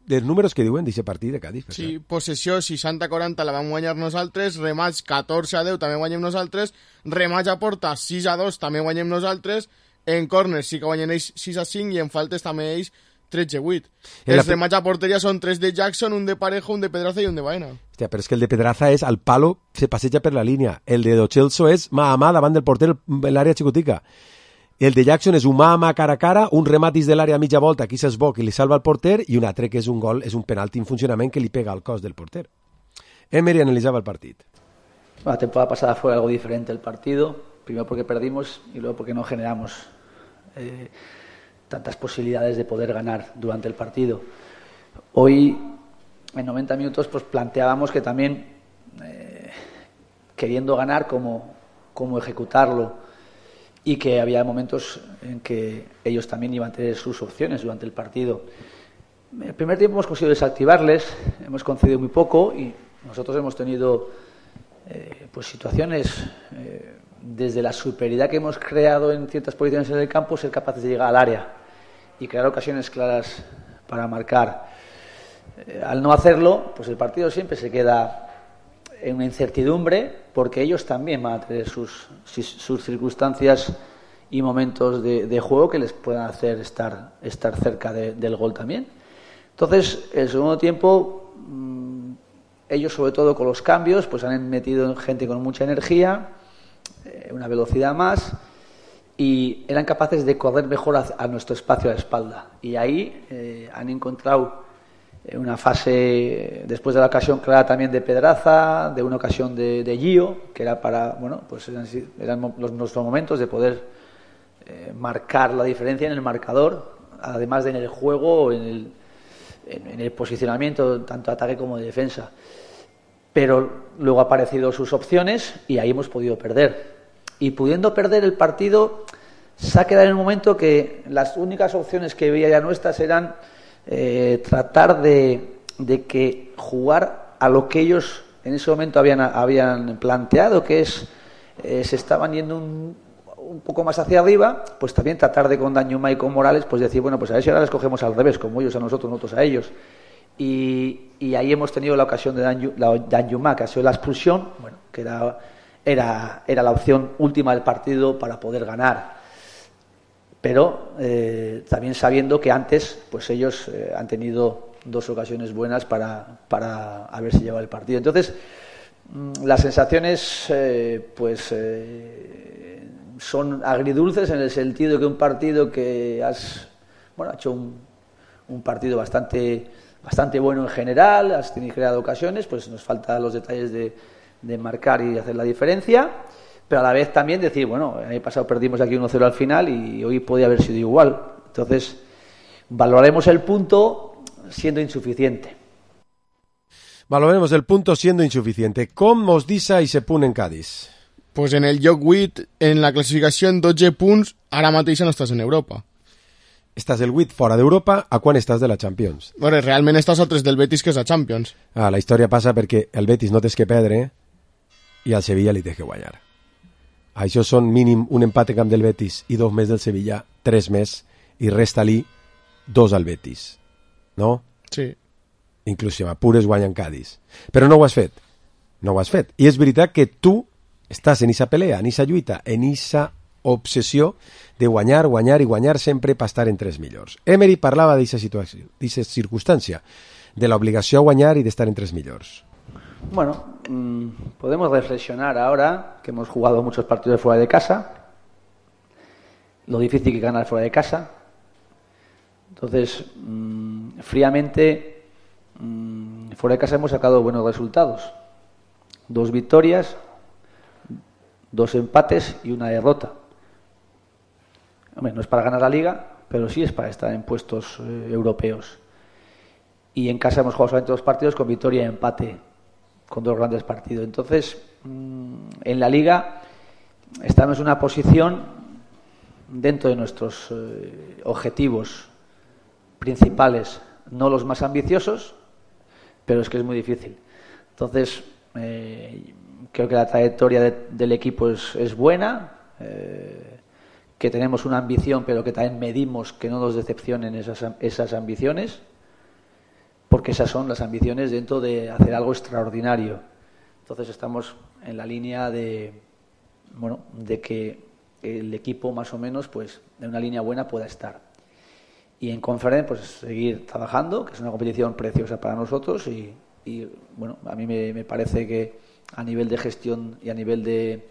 Els números que diuen d'aquest partit de Cádiz. Sí, possessió 60-40 la vam guanyar nosaltres, remats 14-10 també guanyem nosaltres, remats a porta 6-2 també guanyem nosaltres, en córners sí que guanyem ells 6-5 i en faltes també ells 13-8. Els remats a porteria són 3 de Jackson, un de Parejo, un de Pedraza i un de Baena. Hòstia, però és que el de Pedraza és al palo, se passeja per la línia. El de Lo Celso és mà a mà davant del porter en l'àrea xicotica. El de Jackson és un mà a mà cara a cara, un rematis de l'àrea a mitja volta, aquí se'ls bo que li salva el porter, i un altre que és un gol, és un penalti en funcionament que li pega al cos del porter. Emery analizaba el partido. La temporada pasada fue algo diferente el partido, primero porque perdimos y luego porque no generamos tantas posibilidades de poder ganar durante el partido. Hoy, en 90 minutos, pues planteábamos que también, queriendo ganar, cómo ejecutarlo, y que había momentos en que ellos también iban a tener sus opciones durante el partido. En el primer tiempo hemos conseguido desactivarles, hemos concedido muy poco y nosotros hemos tenido pues situaciones desde la superioridad que hemos creado en ciertas posiciones en el campo, ser capaces de llegar al área y crear ocasiones claras para marcar. Al no hacerlo, pues el partido siempre se queda en una incertidumbre, porque ellos también van a tener sus circunstancias y momentos de juego que les puedan hacer estar cerca del gol también. Entonces, el segundo tiempo, ellos sobre todo con los cambios, pues han metido gente con mucha energía, una velocidad más, y eran capaces de correr mejor a nuestro espacio a la espalda. Y ahí han encontrado una fase, después de la ocasión clara también de Pedraza, de una ocasión de Gio, que era para, bueno, pues eran nuestros momentos de poder marcar la diferencia en el marcador, además de en el juego, en el posicionamiento, tanto ataque como de defensa. Pero luego han aparecido sus opciones y ahí hemos podido perder. Y pudiendo perder el partido, se ha quedado en un momento que las únicas opciones que veía ya nuestras eran tratar de que jugar a lo que ellos en ese momento habían planteado, que es se estaban yendo un poco más hacia arriba, pues también tratar de con Danjuma y con Morales, pues decir, bueno, pues a ver si ahora les cogemos al revés, como ellos a nosotros a ellos. Y ahí hemos tenido la ocasión de Danjuma, que ha sido la expulsión, bueno, que era la opción última del partido para poder ganar. Pero también sabiendo que antes pues ellos han tenido 2 ocasiones buenas para haberse llevado el partido. Entonces, las sensaciones son agridulces, en el sentido que un partido que ha hecho un partido bastante bueno en general, has creado ocasiones, pues nos faltan los detalles de marcar y hacer la diferencia. Pero a la vez también decir, bueno, el año pasado perdimos aquí 1-0 al final y hoy podía haber sido igual. Entonces, valoraremos el punto siendo insuficiente. Valoraremos el punto siendo insuficiente. Com mos deixa i se punt en Cádiz? Pues en el lloc 8, en la classificació, en 12 punts, ara mateix no estàs en Europa. Estàs el 8 fora d'Europa, a quan estàs de la Champions? Bueno, realment estàs a 3 del Betis, que és la Champions. La història passa perquè el Betis no tens que perdre i al Sevilla li tens que guanyar. Això són mínim un empat en camp del Betis i 2 més del Sevilla, 3 més, i resta-li 2 al Betis. No? Sí. Inclús si m'apures guanya en Cádiz. Però no ho has fet. No ho has fet. I és veritat que tu estàs en esa pelea, en esa lluita, en esa obsessió de guanyar, guanyar i guanyar sempre per estar entre els millors. Emery parlava d'aquesta situació, d'aquesta circumstància, de l'obligació a guanyar i d'estar entre els millors. Bueno, podemos reflexionar ahora que hemos jugado muchos partidos fuera de casa, lo difícil que es ganar fuera de casa. Entonces, fríamente, fuera de casa hemos sacado buenos resultados. 2 victorias, 2 empates y 1 derrota. Hombre, no es para ganar la Liga, pero sí es para estar en puestos europeos. Y en casa hemos jugado solamente 2 partidos con victoria y empate, con 2 grandes partidos. Entonces, en la Liga estamos en una posición dentro de nuestros objetivos principales, no los más ambiciosos, pero es que es muy difícil. Entonces, creo que la trayectoria del equipo es buena, que tenemos una ambición, pero que también medimos que no nos decepcionen esas ambiciones, porque esas son las ambiciones dentro de hacer algo extraordinario. Entonces estamos en la línea de que el equipo más o menos pues en una línea buena pueda estar. Y en Conference pues seguir trabajando, que es una competición preciosa para nosotros y bueno, a mí me parece que a nivel de gestión y a nivel de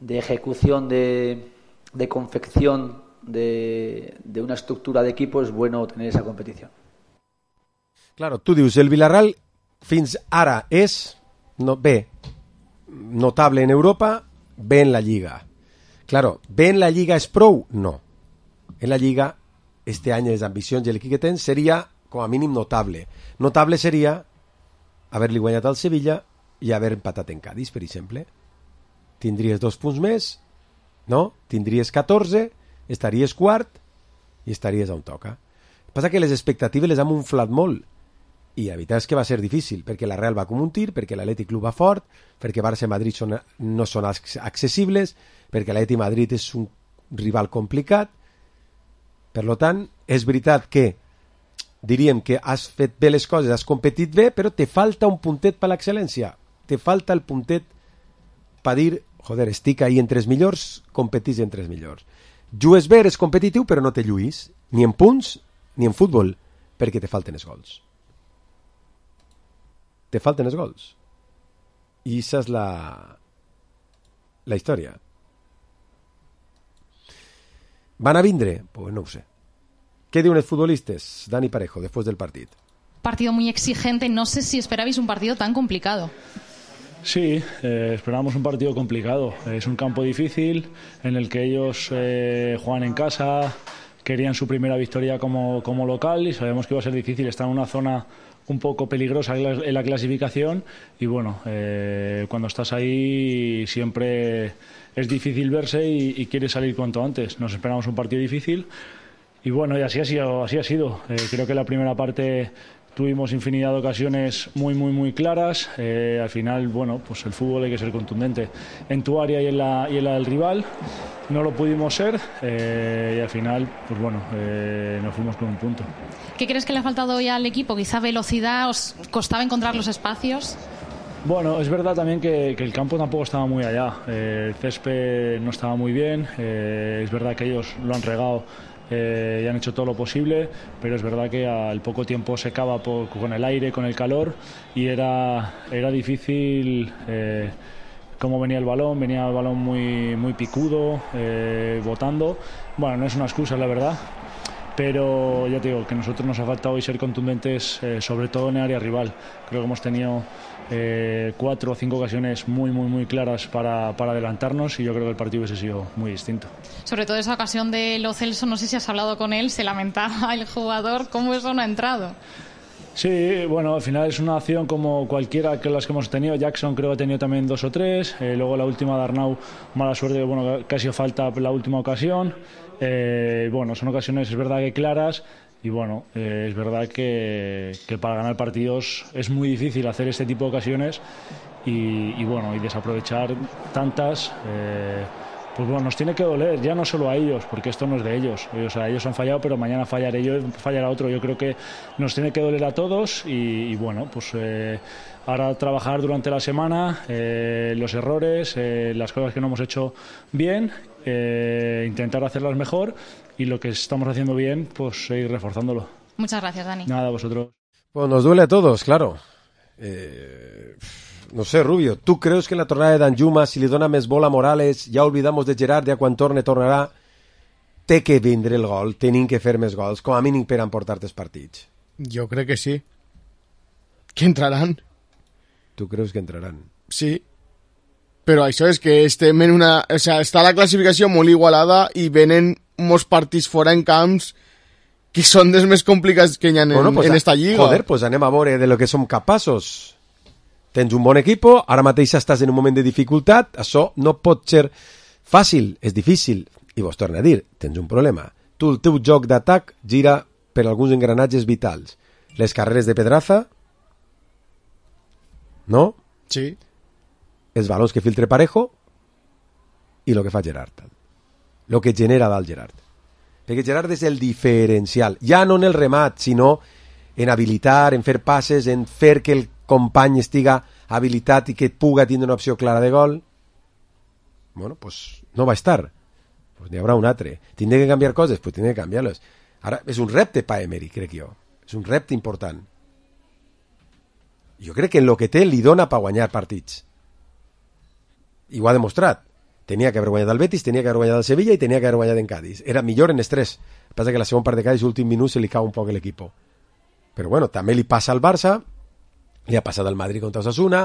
ejecución de confección de una estructura de equipo es bueno tener esa competición. Claro, tu dius, el Villarreal fins ara és notable en Europa, bé en la Lliga. Claro, bé en la Lliga és prou? No. En la Lliga, este any les ambicions i l'equip que tens seria, com a mínim, notable. Notable seria haver-li guanyat al Sevilla i haver empatat en Cádiz, per exemple. Tindries 2 punts més, no? Tindries 14, estaries quart i estaries on toca. Passa que les expectatives les han inflat molt I la veritat és que va ser difícil, perquè la Real va com un tir, perquè l'Atlètic Club va fort, perquè Barça i Madrid no són accessibles, perquè l'Atlètic Madrid és un rival complicat. Per tant, és veritat que diríem que has fet bé les coses, has competit bé, però te falta un puntet per l'excel·lència. Te falta el puntet per dir, joder, estic ahí entre els millors, competís entre els millors. Jugues bé, eres competitiu, però no te lluís, ni en punts ni en futbol, perquè te falten els gols. Te falten els gols. I esa és la història. ¿Van a vindre? Pues no ho sé. ¿Qué diuen els futbolistes? Dani Parejo, después del partido. Partido muy exigente. No sé si esperabais un partido tan complicado. Sí, esperamos un partido complicado. Es un campo difícil en el que ellos juegan en casa, querían su primera victoria como local y sabemos que iba a ser difícil. Está en una zona un poco peligrosa en la clasificación y bueno, cuando estás ahí siempre es difícil verse y quieres salir cuanto antes. Nos esperamos un partido difícil y bueno, y así ha sido. Creo que la primera parte tuvimos infinidad de ocasiones muy claras. Al final, bueno, pues el fútbol hay que ser contundente en tu área y en la del rival. No lo pudimos ser y al final, pues bueno, nos fuimos con un punto. ¿Qué crees que le ha faltado hoy al equipo? Quizá velocidad, ¿os costaba encontrar los espacios? Bueno, es verdad también que el campo tampoco estaba muy allá. El césped no estaba muy bien. Es verdad que ellos lo han regado y han hecho todo lo posible, pero es verdad que al poco tiempo secaba con el aire, con el calor y era difícil cómo venía el balón muy picudo, botando. Bueno, no es una excusa, la verdad, pero ya te digo que a nosotros nos ha faltado hoy ser contundentes, sobre todo en el área rival. Creo que hemos tenido 4 o 5 ocasiones muy claras para adelantarnos y yo creo que el partido hubiese sido muy distinto. Sobre todo esa ocasión de Lo Celso, no sé si has hablado con él, se lamentaba el jugador, ¿cómo eso no ha entrado? Sí, bueno, al final es una acción como cualquiera que las que hemos tenido. Jackson creo que ha tenido también 2 o 3, luego la última de Arnau, mala suerte, bueno, casi falta la última ocasión. Bueno, son ocasiones, es verdad que claras. Y bueno, es verdad que para ganar partidos es muy difícil hacer este tipo de ocasiones y bueno, y desaprovechar tantas, pues bueno, nos tiene que doler, ya no solo a ellos, porque esto no es de ellos. O sea, ellos han fallado, pero mañana fallaré yo y fallará otro. Yo creo que nos tiene que doler a todos y bueno, pues ahora trabajar durante la semana los errores, las cosas que no hemos hecho bien, intentar hacerlas mejor. Y lo que estamos haciendo bien, pues seguir reforzándolo. Muchas gracias, Dani. Nada, vosotros. Pues nos duele a todos, claro. No sé, Rubio, ¿tú crees que en la tornada de Danjuma, si le dona més bola a Morales, ja olvidamos de Gerard, ja quan tornarà, té que vindre el gol, tenim que fer més gols, com a mínim per emportar els partits? Jo crec que sí. Que entraran. Tu creus que entraran? Sí. Però això és que estem en una... O sea, està la classificació molt igualada i venen molts partits fora en camps que són dels més complicats que hi ha en esta lliga. Joder, pues anem a veure de lo que som capaços. Tens un bon equipo, ara mateix estàs en un moment de dificultat, això no pot ser fàcil, és difícil. I vos torno a dir, tens un problema. Tu, el teu joc d'atac gira per alguns engranatges vitals. Les carreres de Pedraza, no? Sí. Els balons que filtre Parejo i el que fa Gerard. El que genera dalt Gerard. Perquè Gerard és el diferencial. Ja no en el remat, sinó en habilitar, en fer passes, en fer que el company estiga habilitat i que puga tindre una opció clara de gol. Bueno, pues no va estar. Pues n'hi haurà un altre. Tindré que canviar coses? Pues tindré que canviar-les. Ara, és un repte pa Emery, crec jo. És un repte important. Jo crec que en lo que té li dona pa guanyar partits. I ho ha demostrat. Tenia que haver guanyat el Betis, tenia que haver guanyat el Sevilla i tenia que haver guanyat en Cádiz. Era millor en estrès. El que passa que la segona part de Cádiz, l'últim minut, se li cau un poc l'equip. Però bueno, també li passa al Barça, li ha passat al Madrid contra Osasuna,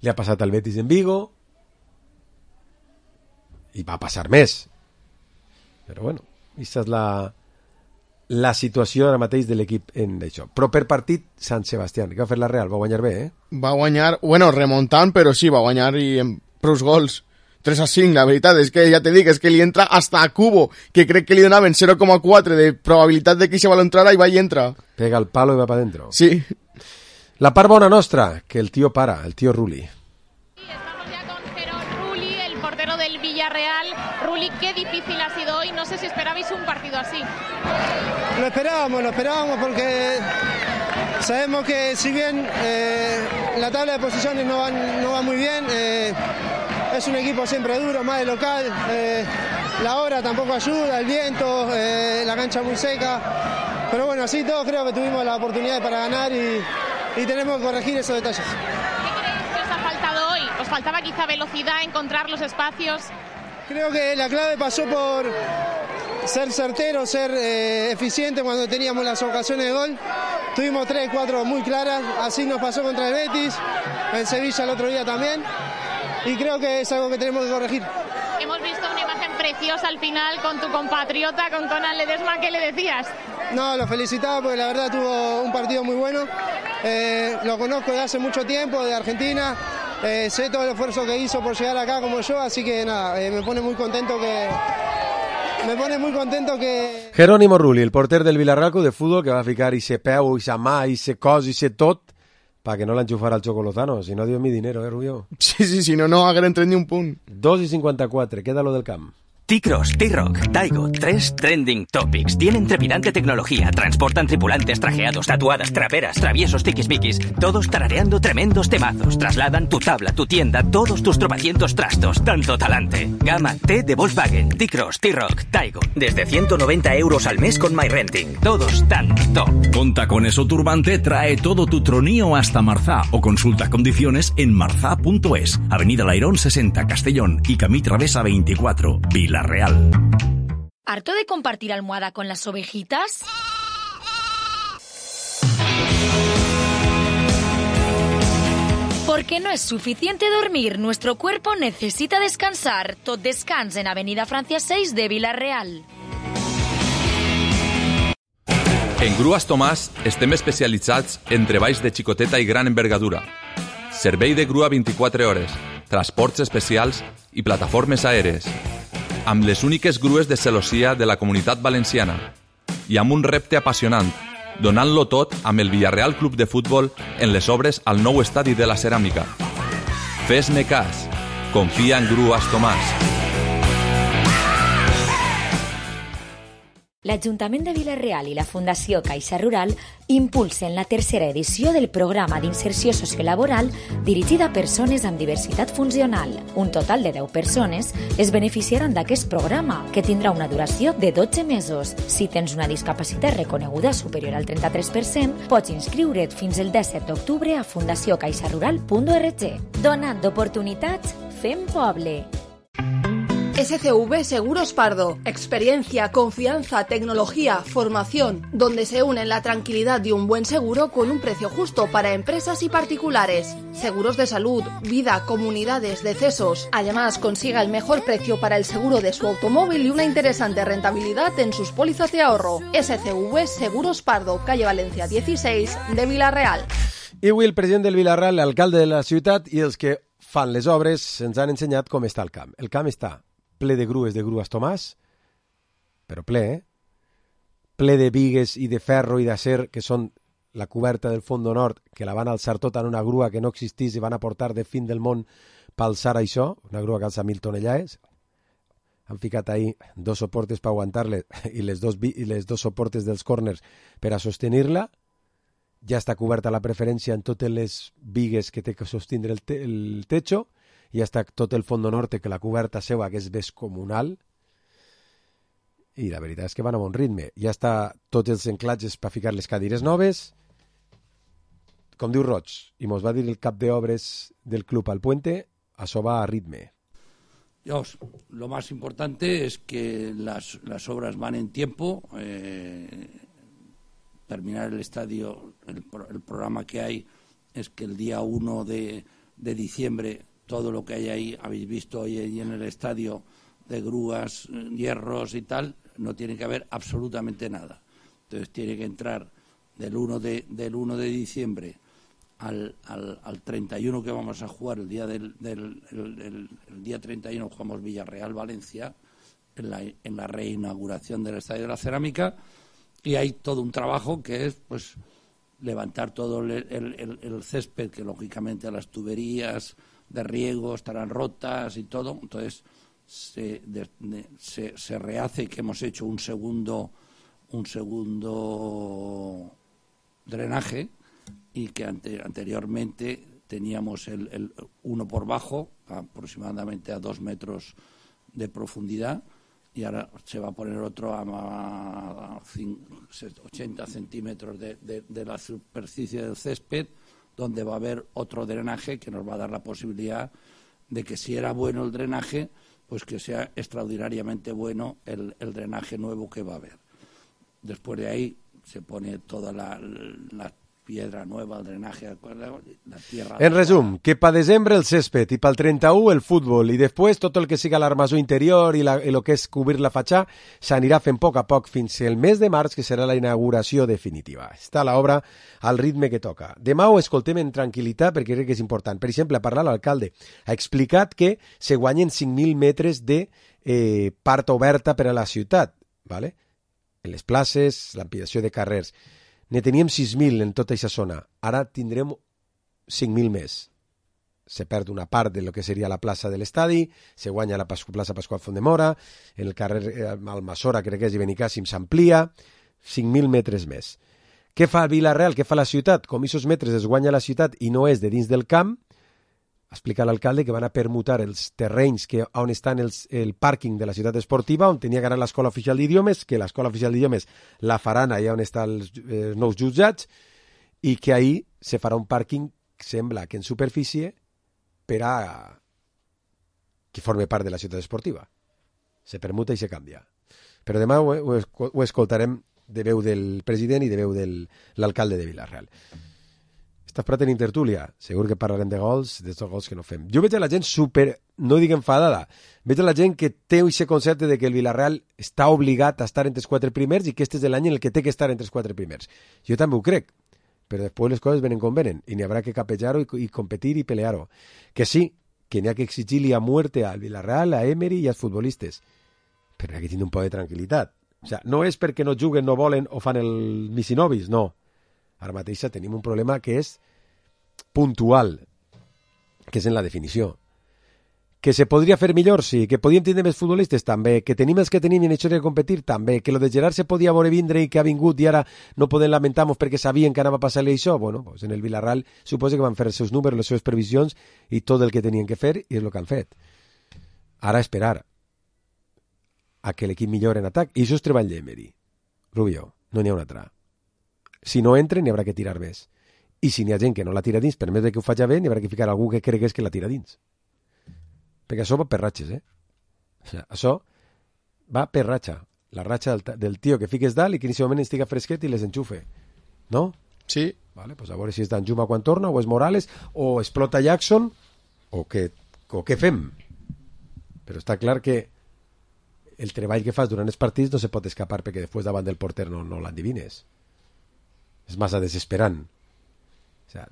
li ha passat al Betis en Vigo, i va passar més. Però bueno, aquesta és la situació ara mateix de l'equip en això. Però per partit, Sant Sebastián, que va fer la Real, va guanyar bé, eh? Va guanyar, bueno, remuntant, però sí, va guanyar i en prous gols. 3-5, la veritat és que ja te dic, és que li entra hasta a Cubo, que crec que li donaven 0,4 de probabilitat de que se va entrar i va i entra. Pega el palo i va pa dentro. Sí. La part bona nostra, que el tío para, el tío Rulli. Estamos ya con Jerón Rulli, el portero del Villarreal. Rulli, qué difícil ha sido hoy. No sé si esperabais un partido así. Lo esperábamos porque sabemos que si bien la tabla de posiciones no va muy bien, es un equipo siempre duro, más de local. La hora tampoco ayuda, el viento, la cancha muy seca. Pero bueno, así todo creo que tuvimos la oportunidad para ganar y tenemos que corregir esos detalles. ¿Qué creéis que os ha faltado hoy? ¿Os faltaba quizá velocidad, encontrar los espacios? Creo que la clave pasó por ser certero, ser eficiente cuando teníamos las ocasiones de gol. Tuvimos 3, 4 muy claras, así nos pasó contra el Betis, en Sevilla el otro día también, y creo que es algo que tenemos que corregir. Hemos visto una imagen preciosa al final con tu compatriota, con Conan Ledesma. ¿Qué le decías? No, lo felicitaba porque la verdad tuvo un partido muy bueno. Lo conozco de hace mucho tiempo, de Argentina. Sé todo el esfuerzo que hizo por llegar acá como yo, así que nada, me pone muy contento que... Jerónimo Rulli, el porter del Villarreal de fútbol, que va a ficar ese peu, esa mà, ese cos, ese tot, para que no l'enxufara el Chocolozano. Si no, Dios mi dinero, Rubio. Sí, si no hagueren tret ni un punt. 2:54, queda lo del camp. T-Cross, T-Rock, Taigo, 3 trending topics. Tienen trepidante tecnología, transportan tripulantes trajeados, tatuadas, traperas, traviesos, tiquismiquis, todos tarareando tremendos temazos. Trasladan tu tabla, tu tienda, todos tus tropecientos trastos, tanto talante. Gama T de Volkswagen, T-Cross, T-Rock, Taigo. Desde 190 € al mes con MyRenting. Todos tan top. Con Tacones o Turbante trae todo tu tronío hasta Marzá o consulta condiciones en marzá.es. Avenida Lairón 60, Castellón y Camí Travesa 24, Villarreal. ¿Harto de compartir almohada con las ovejitas? Porque no es suficiente dormir, nuestro cuerpo necesita descansar. Tot descans en Avenida Francia 6 de Villarreal. En Grues Tomàs estem especialitzats en treballs de xicoteta i gran envergadura. Servei de grua 24 hores, transports especials i plataformes aèries. Amb les úniques grues de celossia de la Comunitat Valenciana i amb un repte apassionant, donant-lo tot amb el Villarreal Club de Futbol en les obres al nou estadi de la Ceràmica. Fes-me cas, confia en Grues Tomàs. L'Ajuntament de Villarreal i la Fundació Caixa Rural impulsen la tercera edició del programa d'inserció sociolaboral dirigida a persones amb diversitat funcional. Un total de 10 persones es beneficiaran d'aquest programa, que tindrà una duració de 12 mesos. Si tens una discapacitat reconeguda superior al 33%, pots inscriure't fins el 17 d'octubre a fundaciocaixarural.org. Donant oportunitats, fem poble. SCV Seguros Pardo. Experiencia, confianza, tecnología, formación, donde se unen la tranquilidad de un buen seguro con un precio justo para empresas y particulares. Seguros de salud, vida, comunidades, decesos. Además, consiga el mejor precio para el seguro de su automóvil y una interesante rentabilidad en sus pólizas de ahorro. SCV Seguros Pardo, calle Valencia 16 de Villarreal. I avui el president del Villarreal, l'alcalde de la ciutat i els que fan les obres ens han ensenyat com està el camp. El camp està ple de Grues Tomàs, però ple, ple de bigues i de ferro i d'acer, que són la coberta del Fondo Nord, que la van alçar tota en una grua que no existís i van aportar de fin del món per alçar això, una grua que alça 1.000 tonellades. Han ficat ahí 2 soportes per aguantar-les i les dos soportes dels corners per a sostenir-la. Ja està coberta la preferència en totes les bigues que té que sostindre el techo. Ja està tot el Fondo Norte, que la coberta seva, que és descomunal, i la veritat és que van a bon ritme. Ja està tots els enclatges per ficar les cadires noves, com diu Roig, i mos va dir el cap d'obres del club al Puente, això va a ritme. Dios, lo más importante es que las obras van en tiempo, terminar el estadio, el programa que hay es que el día 1 de diciembre todo lo que hay ahí, habéis visto hoy en el estadio de grúas, hierros y tal, no tiene que haber absolutamente nada. Entonces tiene que entrar del 1 de diciembre al 31 que vamos a jugar, el día 31 jugamos Villarreal-Valencia en la reinauguración del Estadio de la Cerámica, y hay todo un trabajo que es pues levantar todo el césped, que lógicamente las tuberías de riego estarán rotas y todo. Entonces se rehace que hemos hecho un segundo drenaje, y que anteriormente teníamos el uno por bajo, aproximadamente a 2 metros de profundidad, y ahora se va a poner otro a 80 centímetros de la superficie del césped, donde va a haber otro drenaje que nos va a dar la posibilidad de que, si era bueno el drenaje, pues que sea extraordinariamente bueno el drenaje nuevo que va a haber. Después de ahí se pone toda la piedra nueva, el drenaje, la tierra... En resum, que pa desembre el césped i pel 31 el futbol, i després tot el que siga l'armazó interior i el que és cobrir la fatxà s'anirà fent a poc fins el mes de març, que serà la inauguració definitiva. Està l'obra al ritme que toca. Demà ho escoltem en tranquil·litat perquè crec que és important. Per exemple, ha parlat l'alcalde, ha explicat que se guanyen 5.000 metres de part oberta per a la ciutat, ¿vale? En les places, l'ampliació de carrers. Ne teníem 6.000 en tota aquesta zona. Ara tindrem 5.000 més. Se perd una part de lo que seria la plaça de l'estadi, se guanya la plaça Pasqual Fondemora, en el carrer Almassora, crec que és, i Benicàssim, s'amplia, 5.000 metres més. Què fa el Vila-real? Què fa la ciutat? Com aquests metres es guanya la ciutat i no és de dins del camp, explica l'alcalde que van a permutar els terrenys on estan el pàrquing de la ciutat esportiva, on tenia que anar l'Escola Oficial d'Idiomes, que l'Escola Oficial d'Idiomes la faran allà on estan els nous jutjats, i que ahir se farà un pàrquing, sembla que en superfície, per a que forme part de la ciutat esportiva. Se permuta i se canvia. Però demà ho escoltarem de veu del president i de veu de l'alcalde de Vila-real. Estàs prat en intertúlia, segur que parlarem de gols, d'estos gols que no fem. Jo veig a la gent no dic enfadada, veig a la gent que té aquest concepte de que el Vila-real està obligat a estar entre els 4 primers i que este és l'any en el que té que estar entre els 4 primers. Jo també ho crec, però després les coses venen com venen i n'hi haurà que capejar-ho i competir i pelear-ho. Que sí, que n'hi ha que exigir-li a muerte al Vila-real, a Emery i als futbolistes, però n'hi ha que tenir un poc de tranquil·litat. O sea, no és perquè no juguen, no volen o fan el misinovis, no. Ara mateix tenim un problema que és puntual, que és en la definició. Que se podria fer millor, sí. Que podíem tenir més futbolistes, també. Que tenim els que tenim i en això de competir, també. Que lo de Gerard se podia veure vindre i que ha vingut i ara no podem lamentar-nos perquè sabien que anava a passar-li això. Bueno, pues en el Vila-real suposa que van fer els seus números, les seves previsions i tot el que tenien que fer, i és el que han fet. Ara esperar a que l'equip millori en atac, i això és treball d'Emery. Rubio, no n'hi ha un altre. Si no entren, n'hi haurà que tirar més. I si n'hi ha gent que no la tira dins, per més que ho faci bé, n'hi haurà que ficar algú que cregués que la tira dins. Perquè això va per ratxes, O sigui, això va per ratxa. La ratxa del tio que fiques dalt i que en aquest moment estiga fresquet i les enxufe. No? Sí. Vale, pues a veure si és d'Anjuma quan torna, o és Morales, o explota Jackson, o què fem? Però està clar que el treball que fas durant els partits no se pot escapar perquè després davant del porter no l'endivines. És massa desesperant. O sea,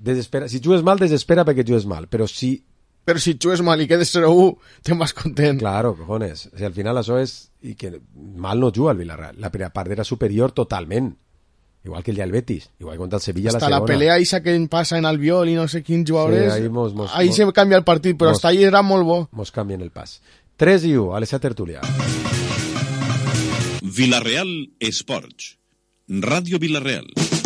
si jugues mal, desespera perquè jugues mal, però si jugues mal i quedes 0-1, te'n vas content. Claro, cojones. O sea, al final això és... I que mal no juga el Villarreal. La primera part era superior totalment. Igual que el del Betis. Igual contra el Sevilla hasta la segona. La pelea esa que passa en Albiol i no sé quins jugadors... Sí, ahí se canvia el partit, però hasta ahí era molt bo. Mos canvien el pas. 3-1, a l'Esa Tertúlia. Villarreal Esports. Ràdio Villarreal.